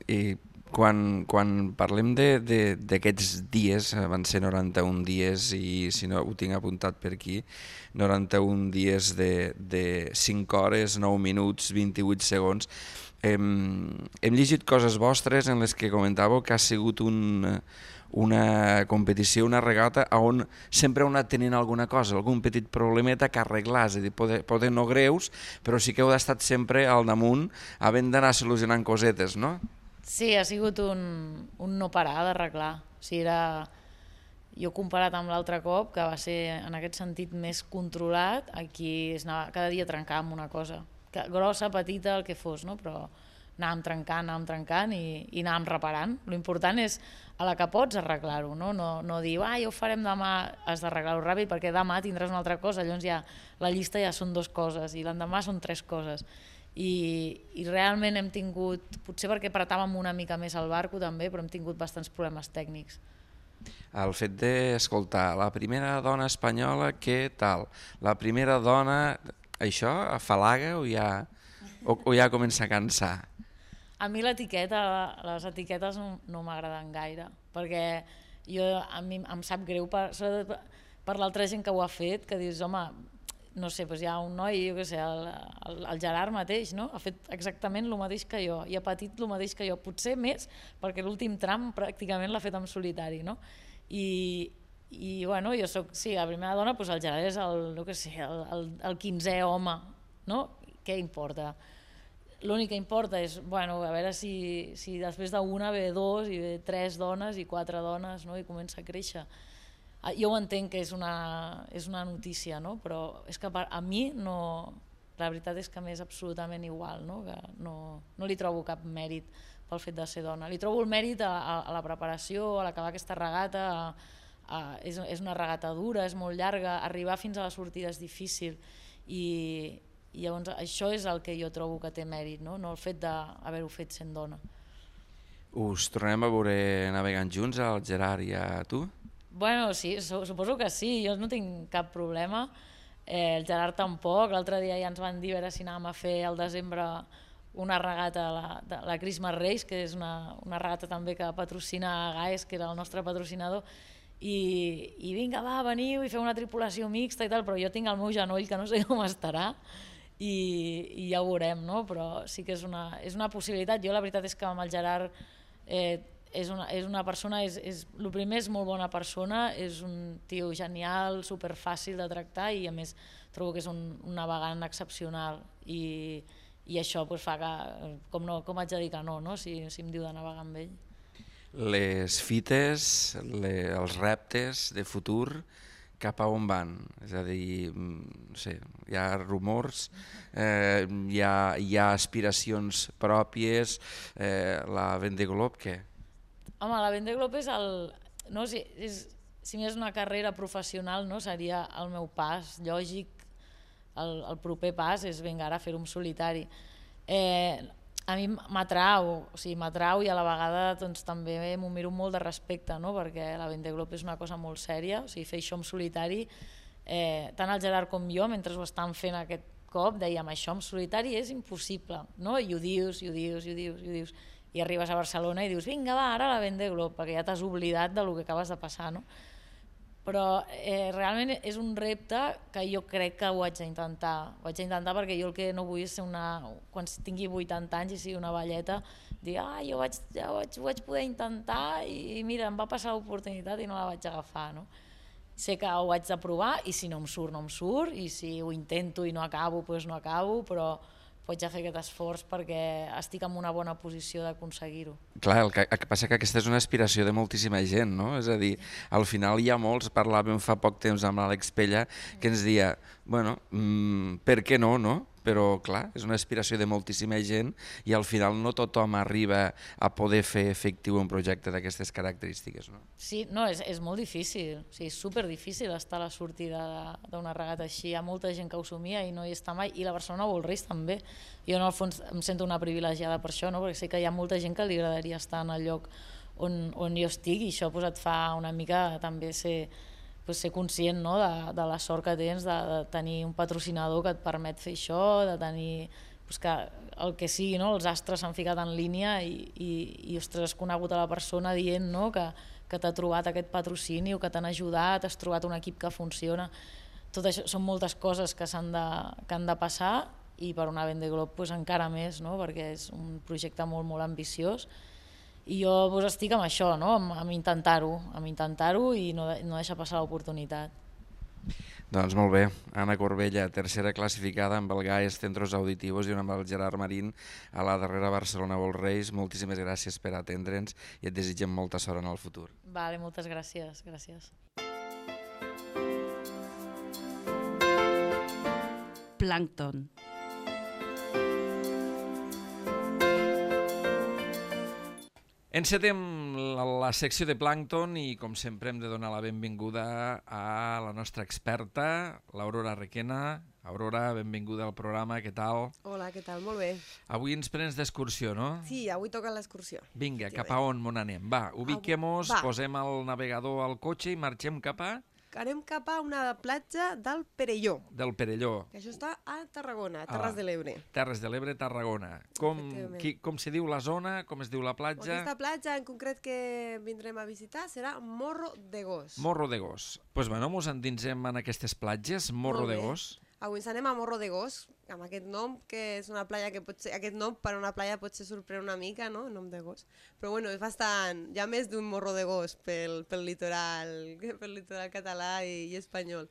eh, quan, quan parlem d'aquests dies, van ser noranta-un dies i si no ho tinc apuntat per aquí, noranta-un dies de, de cinc hores, nou minuts, vint-i-vuit segons, Hem, hem llegit coses vostres en les que comentàveu que ha sigut un, una competició, una regata on sempre heu anat tenint alguna cosa, algun petit problemeta que arreglar, és a dir, poder, poder no greus, però sí que heu estat sempre al damunt havent d'anar solucionant cosetes, no? Sí, ha sigut un, un no parar d'arreglar. O sigui, era... Jo comparat amb l'altre cop, que va ser en aquest sentit més controlat, aquí es anava, cada dia trencàvem una cosa. Grossa, petita, el que fos, no? Però anàvem trencant, anàvem trencant i, i anàvem reparant. L'important és a la que pots arreglar-ho, no? No, no dir, ah, ja ho farem demà, has d'arreglar-ho ràpid perquè demà tindràs una altra cosa, llavors ja la llista ja són dues coses i l'endemà són tres coses. I, i realment hem tingut, potser perquè apretàvem una mica més el barco també, però hem tingut bastants problemes tècnics. El fet d'escoltar la primera dona espanyola, què tal? La primera dona... Això afalaga o ja, o, o ja comença a cansar? A mi l'etiqueta, les etiquetes no, no m'agraden gaire, perquè jo, a mi em sap greu per, per l'altra gent que ho ha fet, que dius, home, no sé, doncs hi ha un noi, jo què sé, el, el, el Gerard mateix, no? Ha fet exactament el mateix que jo, i ha patit el mateix que jo, potser més, perquè l'últim tram pràcticament l'ha fet en solitari, no? I... I bueno, jo soc, sí, la primera dona, doncs el Gerard és el, no que sé, el, el, el quinzè home, no? Què importa? L'únic que importa és, bueno, a veure si, si després d'una ve dos i ve tres dones i quatre dones, no? I comença a créixer. Jo ho entenc que és una, és una notícia, no? Però és que a mi no, la veritat és que m'és absolutament igual, no? Que no, no li trobo cap mèrit pel fet de ser dona. Li trobo el mèrit a, a, a la preparació, a l'acabar aquesta regata, a, Uh, és, és una regata dura, és molt llarga, arribar fins a la sortida és difícil i, i llavors això és el que jo trobo que té mèrit, no, no el fet d'haver-ho fet sent dona. Us tornem a veure navegant junts, el Gerard i a tu? Bueno, sí, suposo que sí, jo no tinc cap problema, eh, el Gerard tampoc, l'altre dia ja ens van dir a veure si anàvem a fer al desembre una regata, la, la Christmas Race, que és una, una regata també que patrocina Gaes, que era el nostre patrocinador, I, i vinga, va, veniu i feu una tripulació mixta i tal, però jo tinc el meu genoll que no sé com estarà i, i ja ho veurem, no? Però sí que és una, és una possibilitat. Jo la veritat és que amb el Gerard eh, és, una, és una persona, és, és, el primer és molt bona persona, és un tio genial, superfàcil de tractar i a més trobo que és un, un navegant excepcional i, i això pues, fa que, com, no, com haig de dir que no, no? Si, si em diu de navegar amb ell. Les fites, le, els reptes de futur, cap a on van? És a dir, no sé, hi ha rumors, eh, hi, ha, hi ha aspiracions pròpies, eh, la Vendée Globe, què? Home, la Vendée Globe és el... No, sí, és, si més una carrera professional, no, seria el meu pas lògic, el, el proper pas és vinga, ara fer-ho en solitari. Eh, a mi m'atrau, o sigui, m'atrau i a la vegada doncs, també m'ho miro molt de respecte, no? Perquè la Vendée Globe és una cosa molt sèria, o sigui, fer això en solitari, eh, tant el Gerard com jo, mentre ho estan fent aquest cop, dèiem això en solitari és impossible, no? I ho dius, i ho dius, i ho dius, i ho dius, i arribes a Barcelona i dius vinga va, ara la Vendée Globe, perquè ja t'has oblidat del que acabes de passar, no? Però eh, realment és un repte que jo crec que ho haig d'intentar. Ho haig d'intentar perquè jo el que no vull és ser una... Quan tingui vuitanta anys i sigui una velleta, dir, ah, jo vaig, ja ho, vaig, ho vaig poder intentar i mira, em va passar l'oportunitat i no la vaig agafar, no? Sé que ho haig de provar i si no em surt, no em surt, i si ho intento i no acabo, doncs no acabo, però vaig a fer aquest esforç perquè estic en una bona posició d'aconseguir-ho. Clar, el que, el que passa que aquesta és una aspiració de moltíssima gent, no? És a dir, al final hi ha molts, parlàvem fa poc temps amb l'Àlex Pella, que ens deia, bueno, mmm, per què no, no? Però, clar, és una aspiració de moltíssima gent i al final no tothom arriba a poder fer efectiu un projecte d'aquestes característiques, no? Sí, no, és, és molt difícil, o sigui, és superdifícil estar a la sortida d'una regata així. Hi ha molta gent que ho somia i no hi està mai, i la Barcelona World Race també. Jo, en el fons, em sento una privilegiada per això, no? Perquè sé que hi ha molta gent que li agradaria estar en el lloc on, on jo estic i això pues, et fa una mica també ser... Pues, ser conscient, no? de, de la sort que tens de, de tenir un patrocinador que et permet fer això, de tenir pues, que el que sigui, no? Els astres s'han ficat en línia i, i, i ostres, has conegut a la persona dient, no? que, que t'ha trobat aquest patrocini o que t'han ajudat, has trobat un equip que funciona. Tot això són moltes coses que, s'han de, que han de passar i per una Vendée Globe pues, encara més, no? Perquè és un projecte molt, molt ambiciós. I jo pues, estic amb això, no? amb, amb intentar-ho, amb intentar-ho i no, no deixar passar l'oportunitat. Doncs molt bé, Anna Corbella, tercera classificada amb el Gaes Centros Auditivos i amb el Gerard Marín a la darrera Barcelona World Race. Moltíssimes gràcies per atendre'ns i et desitgem molta sort en el futur. Vale, moltes gràcies. gràcies. Plàncton. Encetem la, la secció de Plàncton i, com sempre, hem de donar la benvinguda a la nostra experta, l'Aurora Requena. Aurora, benvinguda al programa, què tal? Hola, què tal? Molt bé. Avui ens prens d'excursió, no? Sí, avui toca l'excursió. Vinga, cap a on on anem? Va, ubiquem-nos, posem el navegador al cotxe i marxem cap a... Anem cap a una platja del Perelló. Del Perelló. Que això està a Tarragona, a Terres de l'Ebre. Terres de l'Ebre, Tarragona. Com, qui, com se diu la zona, com es diu la platja? Aquesta platja en concret que vindrem a visitar serà Morro de Gos. Morro de Gos. Doncs pues, bueno, mos endinsem en aquestes platges, Morro de Gos. Avui ens anem a Morro de Gos, amb aquest nom, que és una platja que pot ser... Aquest nom per a una platja potser sorprèn una mica, no?, el nom de Gos. Però bueno, és bastant... Hi ha més d'un Morro de Gos pel, pel, litoral, pel litoral català i, i espanyol.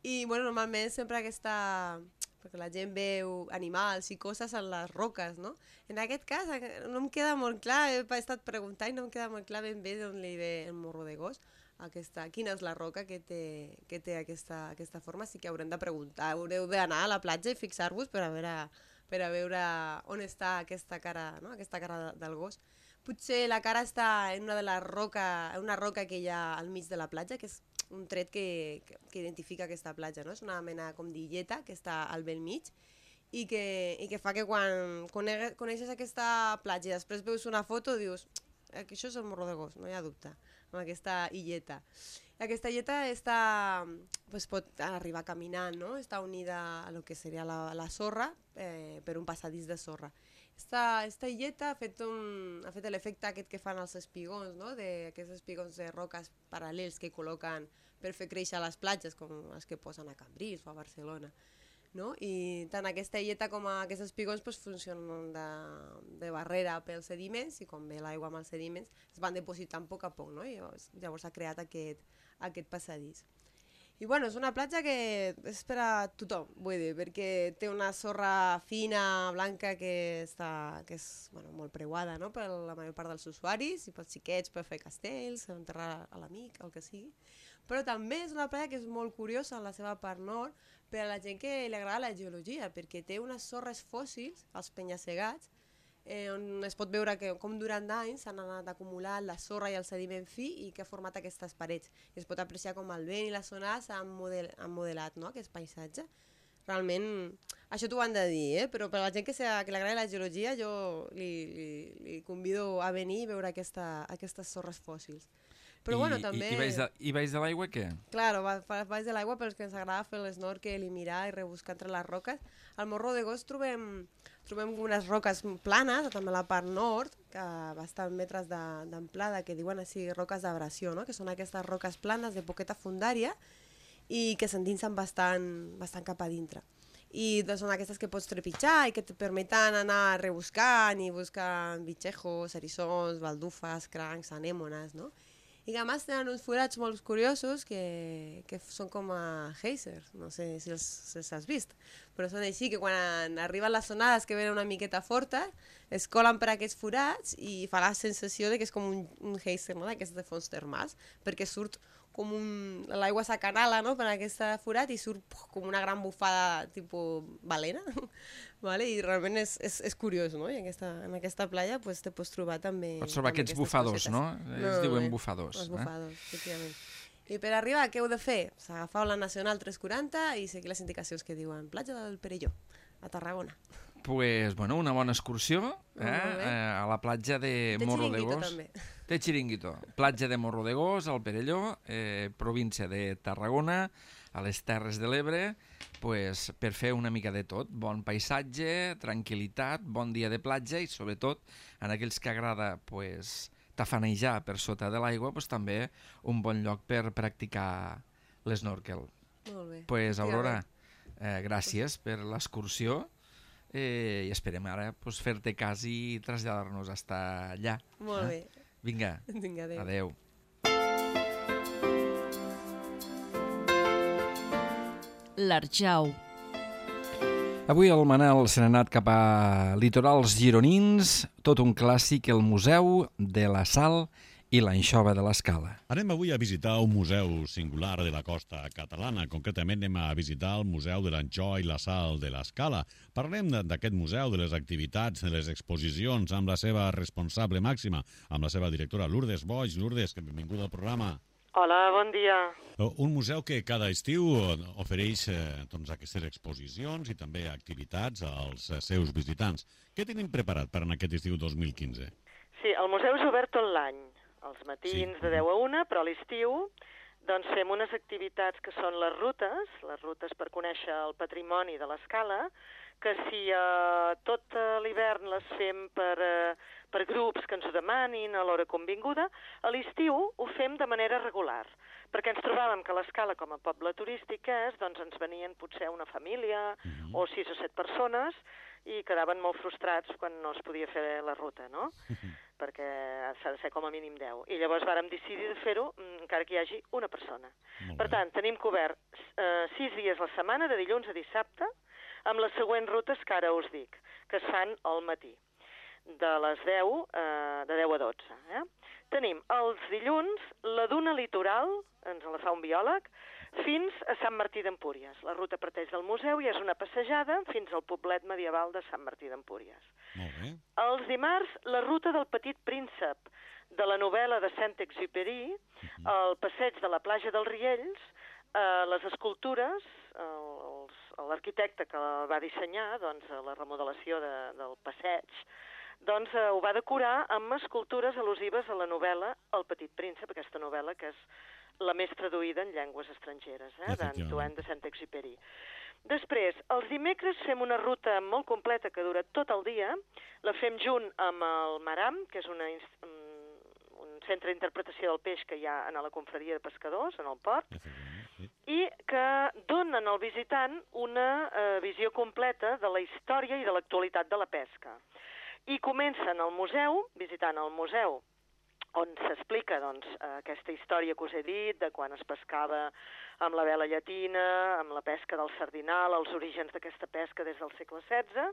I bueno, normalment sempre aquesta... perquè la gent veu animals i coses en les roques, no? En aquest cas no em queda molt clar, he estat preguntant i no em queda molt clar ben bé d'on li ve el Morro de Gos. Aquesta, quina és la roca que té, que té aquesta, aquesta forma, sí que haurem de preguntar, haureu d'anar a la platja i fixar-vos per a veure, per a veure on està aquesta cara, no? Aquesta cara del gos. Potser la cara està en una de les roca, una roca que hi ha al mig de la platja, que és un tret que, que, que identifica aquesta platja, no? És una mena com d'illeta que està al bell mig i que, i que fa que quan coneixes aquesta platja i després veus una foto dius que això és el Morro de Gos, no hi ha dubte, amb aquesta illeta. Aquesta illeta està, pues pot arribar caminant, no? Està unida a lo que seria la, la sorra eh, per un passadís de sorra. Esta, esta illeta ha fet, un, ha fet l'efecte aquest que fan els espigons, no? De, aquests espigons de roques paral·lels que col·loquen per fer créixer les platges, com els que posen a Cambrils o a Barcelona. No? I tant aquesta illeta com aquests espigons pues, funcionen de, de barrera pels sediments i quan ve l'aigua amb els sediments es van depositant a poc a poc, no? I llavors, llavors s'ha creat aquest, aquest passadís. I bueno, és una platja que és per a tothom, vull dir, perquè té una sorra fina, blanca, que, està, que és bueno, molt preuada, no? Per la major part dels usuaris i pels xiquets per fer castells, enterrar a l'amic, el que sigui. Però també és una platja que és molt curiosa en la seva part nord per a la gent que li agrada la geologia, perquè té unes sorres fòssils, els penya-segats, eh, on es pot veure que com durant anys s'han anat acumulant la sorra i el sediment fi i que ha format aquestes parets. I es pot apreciar com el vent i les onades han, model, han modelat, no?, aquest paisatge. Realment, això t'ho han de dir, eh? Però per a la gent que, sea, que li agrada la geologia jo li, li, li convido a venir i veure aquesta, aquestes sorres fòssils. Però I, bueno, també... I, i baix de, i baix de l'aigua què? Claro, baix de l'aigua pels que ens agrada fer l'esnorkel i mirar i rebuscar entre les roques. Al Morro de Gos trobem, trobem unes roques planes, també a la part nord, que bastant metres d'amplada, que diuen així roques d'abrasió, no?, que són aquestes roques planes de poqueta fundària i que s'endinsen bastant, bastant cap a dintre. I doncs són aquestes que pots trepitjar i que et permeten anar rebuscant i buscar bitxejos, eriçons, baldufes, crancs, anèmones, no? I que a més tenen uns forats molt curiosos que, que són com a geysers, no sé si els, si els has vist, però són així que quan arriben les onades que venen una miqueta fortes, es colen per aquests forats i fa la sensació de que és com un, un geyser, no?, d'aquests de fons termals, perquè surt com un... l'aigua s'acanala, no?, per aquest forat i surt puf, com una gran bufada tipus balena, vale? I realment és, és, és curiós, no? I aquesta, en aquesta platja pues, te pots trobar també... Pots trobar aquests bufadors, no? no? Ells diuen eh? bufadors. Els bufadors, eh? efectivament. I per arribar, què heu de fer? S'agafau la Nacional tres quaranta i seguir les indicacions que diuen platja del Perelló, a Tarragona. Pues, bueno, una bona excursió eh? eh, a la platja de, de Morro de Gos. També. De Chiringuito. Platja de Morro de Gos, al Perelló, eh, província de Tarragona, a les Terres de l'Ebre, pues, per fer una mica de tot. Bon paisatge, tranquil·litat, bon dia de platja i, sobretot, en aquells que agrada pues, tafanejar per sota de l'aigua, pues, també un bon lloc per practicar l'esnorkel. Molt bé. Pues, Aurora, eh, gràcies per l'excursió. Eh, i esperem ara pues, fer-te cas i traslladar-nos hasta allà. Molt eh? bé. Vinga, Vinga, adéu. Adéu. L'Arjau. Avui el Manel se n'ha anat cap a litorals gironins, tot un clàssic, el Museu de la Sal i l'Anxova de l'Escala. Anem avui a visitar un museu singular de la costa catalana. Concretament anem a visitar el Museu de l'Anxova i la Sal de l'Escala. Parlem d'aquest museu, de les activitats, de les exposicions, amb la seva responsable màxima, amb la seva directora Lourdes Boix. Lourdes, benvinguda al programa. Hola, bon dia. Un museu que cada estiu ofereix eh, doncs, aquestes exposicions i també activitats als seus visitants. Què tenim preparat per en aquest estiu dos mil quinze? Sí, el museu és obert tot l'any. Els matins sí. de deu a una, però a l'estiu doncs fem unes activitats que són les rutes, les rutes per conèixer el patrimoni de l'Escala, que si eh, tot l'hivern les fem per, eh, per grups que ens ho demanin a l'hora convinguda, a l'estiu ho fem de manera regular, perquè ens trobàvem que l'Escala, com a poble turístic és, doncs ens venien potser una família mm-hmm. o sis o set persones i quedaven molt frustrats quan no es podia fer la ruta, no? Mm-hmm. perquè s'ha de ser com a mínim deu. I llavors vàrem decidir de fer-ho encara que hi hagi una persona. Per tant, tenim cobert eh, sis dies a la setmana, de dilluns a dissabte, amb les següents rutes que ara us dic, que es fan al matí, de les deu, eh, de deu a dotze. Eh? Tenim els dilluns la duna litoral, ens la fa un biòleg, fins a Sant Martí d'Empúries. La ruta parteix del museu i és una passejada fins al poblet medieval de Sant Martí d'Empúries. Molt bé. Els dimarts, la ruta del Petit Príncep, de la novel·la de Saint-Exupéry, uh-huh. el passeig de la platja dels Riells, eh, les escultures, l'arquitecte que la va dissenyar, doncs, la remodelació de, del passeig, doncs eh, ho va decorar amb escultures al·lusives a la novel·la El Petit Príncep, aquesta novel·la que és la més traduïda en llengües estrangeres, eh, d'Antoine de Saint-Exupéry. Després, els dimecres fem una ruta molt completa que dura tot el dia, la fem junt amb el Maram, que és una, un centre d'interpretació del peix que hi ha a la confraria de pescadors, en el port, i que donen al visitant una eh, visió completa de la història i de l'actualitat de la pesca. I comencen al museu, visitant el museu, on s'explica doncs, aquesta història que us he dit, de quan es pescava amb la vela llatina, amb la pesca del sardinal, els orígens d'aquesta pesca des del segle setze,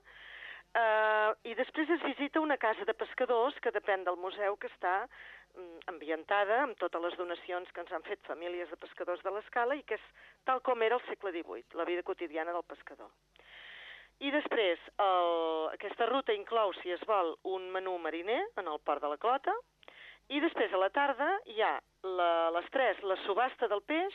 eh, i després es visita una casa de pescadors que depèn del museu, que està mm, ambientada amb totes les donacions que ens han fet famílies de pescadors de l'Escala i que és tal com era el segle divuit, la vida quotidiana del pescador. I després, el, aquesta ruta inclou, si es vol, un menú mariner en el port de la Clota, i després a la tarda hi ha la, a les tres la subhasta del peix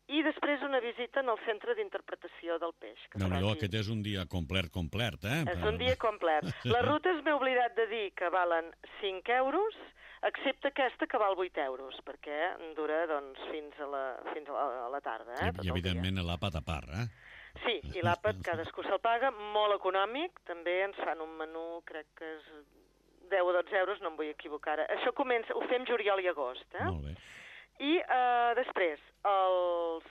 i després una visita en el centre d'interpretació del peix. Déu-n'hi-do, aquest és un dia complet, complet, eh? És un dia complet. Les rutes m'he oblidat de dir que valen cinc euros, excepte aquesta que val vuit euros, perquè dura doncs, fins a la, fins a la, a la tarda. Eh, I, i evidentment l'àpat a part, eh? Sí, i l'àpat cadascú se'l paga, molt econòmic, també ens fan un menú, crec que és deu o dotze euros, no em vull equivocar ara. Això comença, ho fem juliol i agost, eh? Molt bé. I eh, després, els...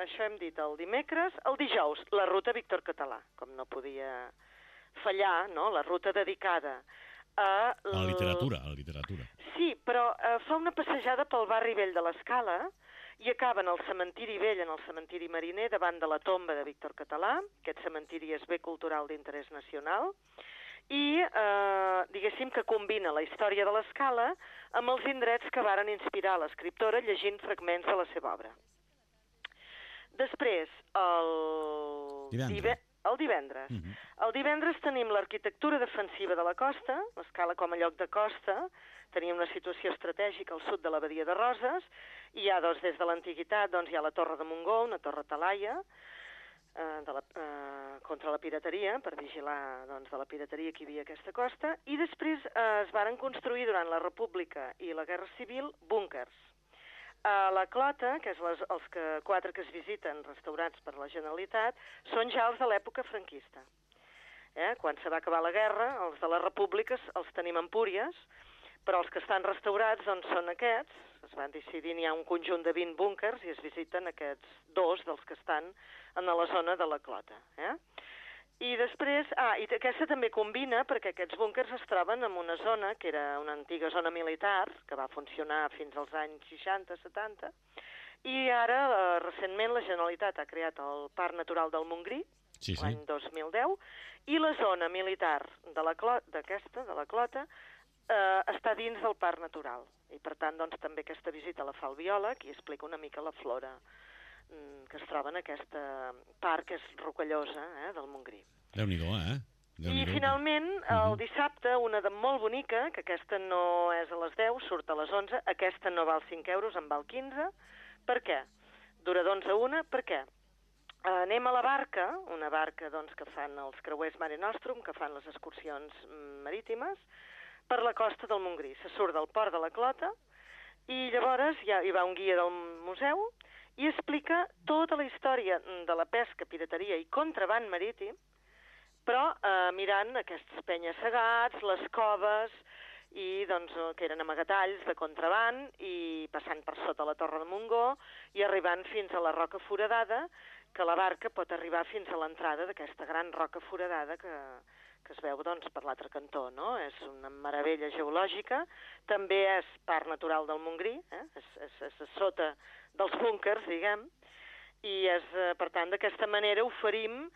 això hem dit el dimecres, el dijous, la ruta Víctor Català, com no podia fallar, no? La ruta dedicada a... A la literatura, a la literatura. Sí, però eh, fa una passejada pel barri vell de l'Escala i acaba en el cementiri vell, en el cementiri mariner, davant de la tomba de Víctor Català. Aquest cementiri és bé cultural d'interès nacional. I, eh, diguéssim, que combina la història de l'Escala amb els indrets que varen inspirar l'escriptora llegint fragments de la seva obra. Després, el divendres, dive... el divendres. Uh -huh. El divendres tenim l'arquitectura defensiva de la costa, l'Escala com a lloc de costa, tenim una situació estratègica al sud de la badia de Roses, i hi ha, doncs, des de l'antiguitat, doncs, hi ha la Torre de Montgó, una torre talaia, eh, de la, eh, contra la pirateria, per vigilar, doncs, de la pirateria que hi havia a aquesta costa, i després eh, es varen construir durant la República i la Guerra Civil búnkers. A la Clota, que és les, els que, quatre que es visiten restaurats per la Generalitat, són ja els de l'època franquista. Eh? Quan se va acabar la guerra, els de les repúbliques els tenim a Empúries, però els que estan restaurats doncs, són aquests. Es van decidir, n'hi ha un conjunt de vint búnkers i es visiten aquests dos dels que estan en la zona de la Clota. Eh? I després, ah, i aquesta també combina perquè aquests búnkers es troben en una zona que era una antiga zona militar que va funcionar fins als anys seixanta setanta i ara, eh, recentment, la Generalitat ha creat el Parc Natural del Montgrí, sí, sí. l'any dos mil deu, i la zona militar de la Clota, d'aquesta, de la Clota, eh, està dins del Parc Natural. I, per tant, doncs, també aquesta visita la fa el biòleg i explica una mica la flora que es troba en aquest parc que és rocallosa, eh, del Montgrí. Déu-n'hi-do, eh? I finalment, el dissabte, una de molt bonica, que aquesta no és a les deu, surt a les onze, aquesta no val cinc euros, en val quinze. Per què? Dura d'onze a una, per què? Anem a la barca, una barca doncs, que fan els creuers Mare Nostrum, que fan les excursions marítimes, per la costa del Montgrí. Se surt del port de la Clota i llavors hi, ha, hi va un guia del museu i explica tota la història de la pesca, pirateria i contraband marítim, però eh, mirant aquests penya-segats, les coves, i, doncs, que eren amagatalls de contraband, i passant per sota la Torre de Montgó i arribant fins a la Roca Foradada, que la barca pot arribar fins a l'entrada d'aquesta gran roca foradada que, que es veu doncs, per l'altre cantó, no? És una meravella geològica, també és parc natural del Montgrí, eh? és, és, és sota dels búnkers, diguem, i és, per tant, d'aquesta manera oferim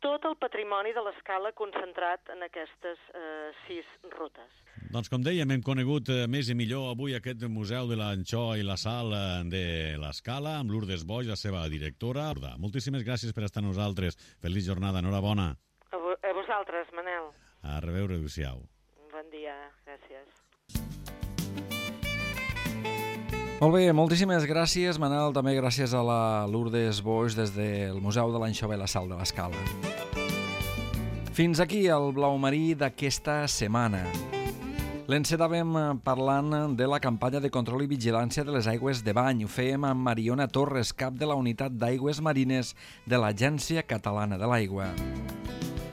tot el patrimoni de l'Escala concentrat en aquestes eh, sis rutes. Doncs com dèiem, hem conegut eh, més i millor avui aquest Museu de l'Anxó i la Sal de l'Escala amb Lourdes Boix, la seva directora. Moltíssimes gràcies per estar amb nosaltres. Feliç jornada, enhorabona. A, vo a vosaltres, Manel. A reveure, adéu-siau. Bon dia, gràcies. Molt bé, moltíssimes gràcies, Manel. També gràcies a la Lourdes Boix des del Museu de l'Anxova i la Sal de l'Escala. Fins aquí el blau marí d'aquesta setmana. L'encetàvem parlant de la campanya de control i vigilància de les aigües de bany. Ho fèiem amb Mariona Torres, cap de la Unitat d'Aigües Marines de l'Agència Catalana de l'Aigua.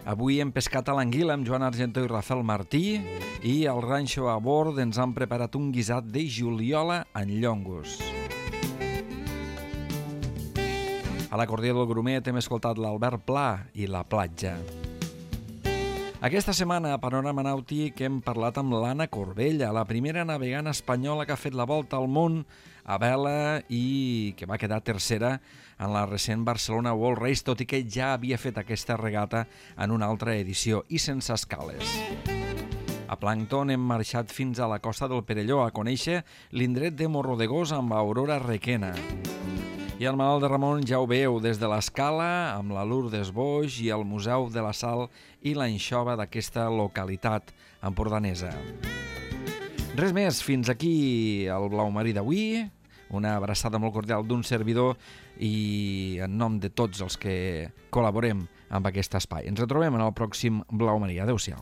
Avui hem pescat a l'anguila amb Joan Argentó i Rafael Martí i al ranxo a bord ens han preparat un guisat de juliola en llongos. A l'acordió del Grumet hem escoltat l'Albert Pla i La Platja. Aquesta setmana a Panorama Nàutic hem parlat amb l'Anna Corbella, la primera navegant espanyola que ha fet la volta al món a vela i que va quedar tercera en la recent Barcelona World Race, tot i que ja havia fet aquesta regata en una altra edició i sense escales. A Plancton hem marxat fins a la costa del Perelló a conèixer l'indret de Morrodegós amb Aurora Requena. I el Malalt de Ramon ja ho veu des de l'Escala, amb la Lourdes Boix i el Museu de la Sal i l'anxova d'aquesta localitat empordanesa. Res més, fins aquí el Blau Marí d'avui. Una abraçada molt cordial d'un servidor i en nom de tots els que col·laborem amb aquest espai. Ens retrobem en el pròxim Blau Marí. Adéu-siau.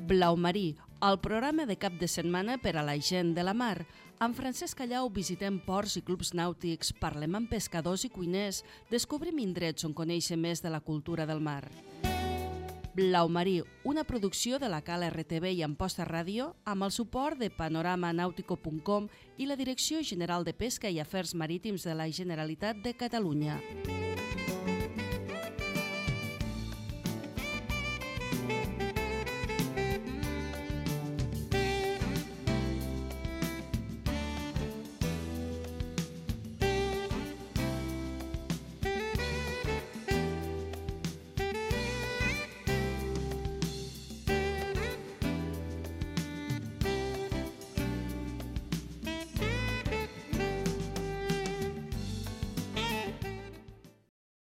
Blau Marí, el programa de cap de setmana per a la gent de la mar. Amb Francesc Callau visitem ports i clubs nàutics, parlem amb pescadors i cuiners, descobrim indrets on conèixer més de la cultura del mar. Blau Marí, una producció de la Cala R T V i Amposta Ràdio, amb el suport de panorama nautico punt com i la Direcció General de Pesca i Afers Marítims de la Generalitat de Catalunya.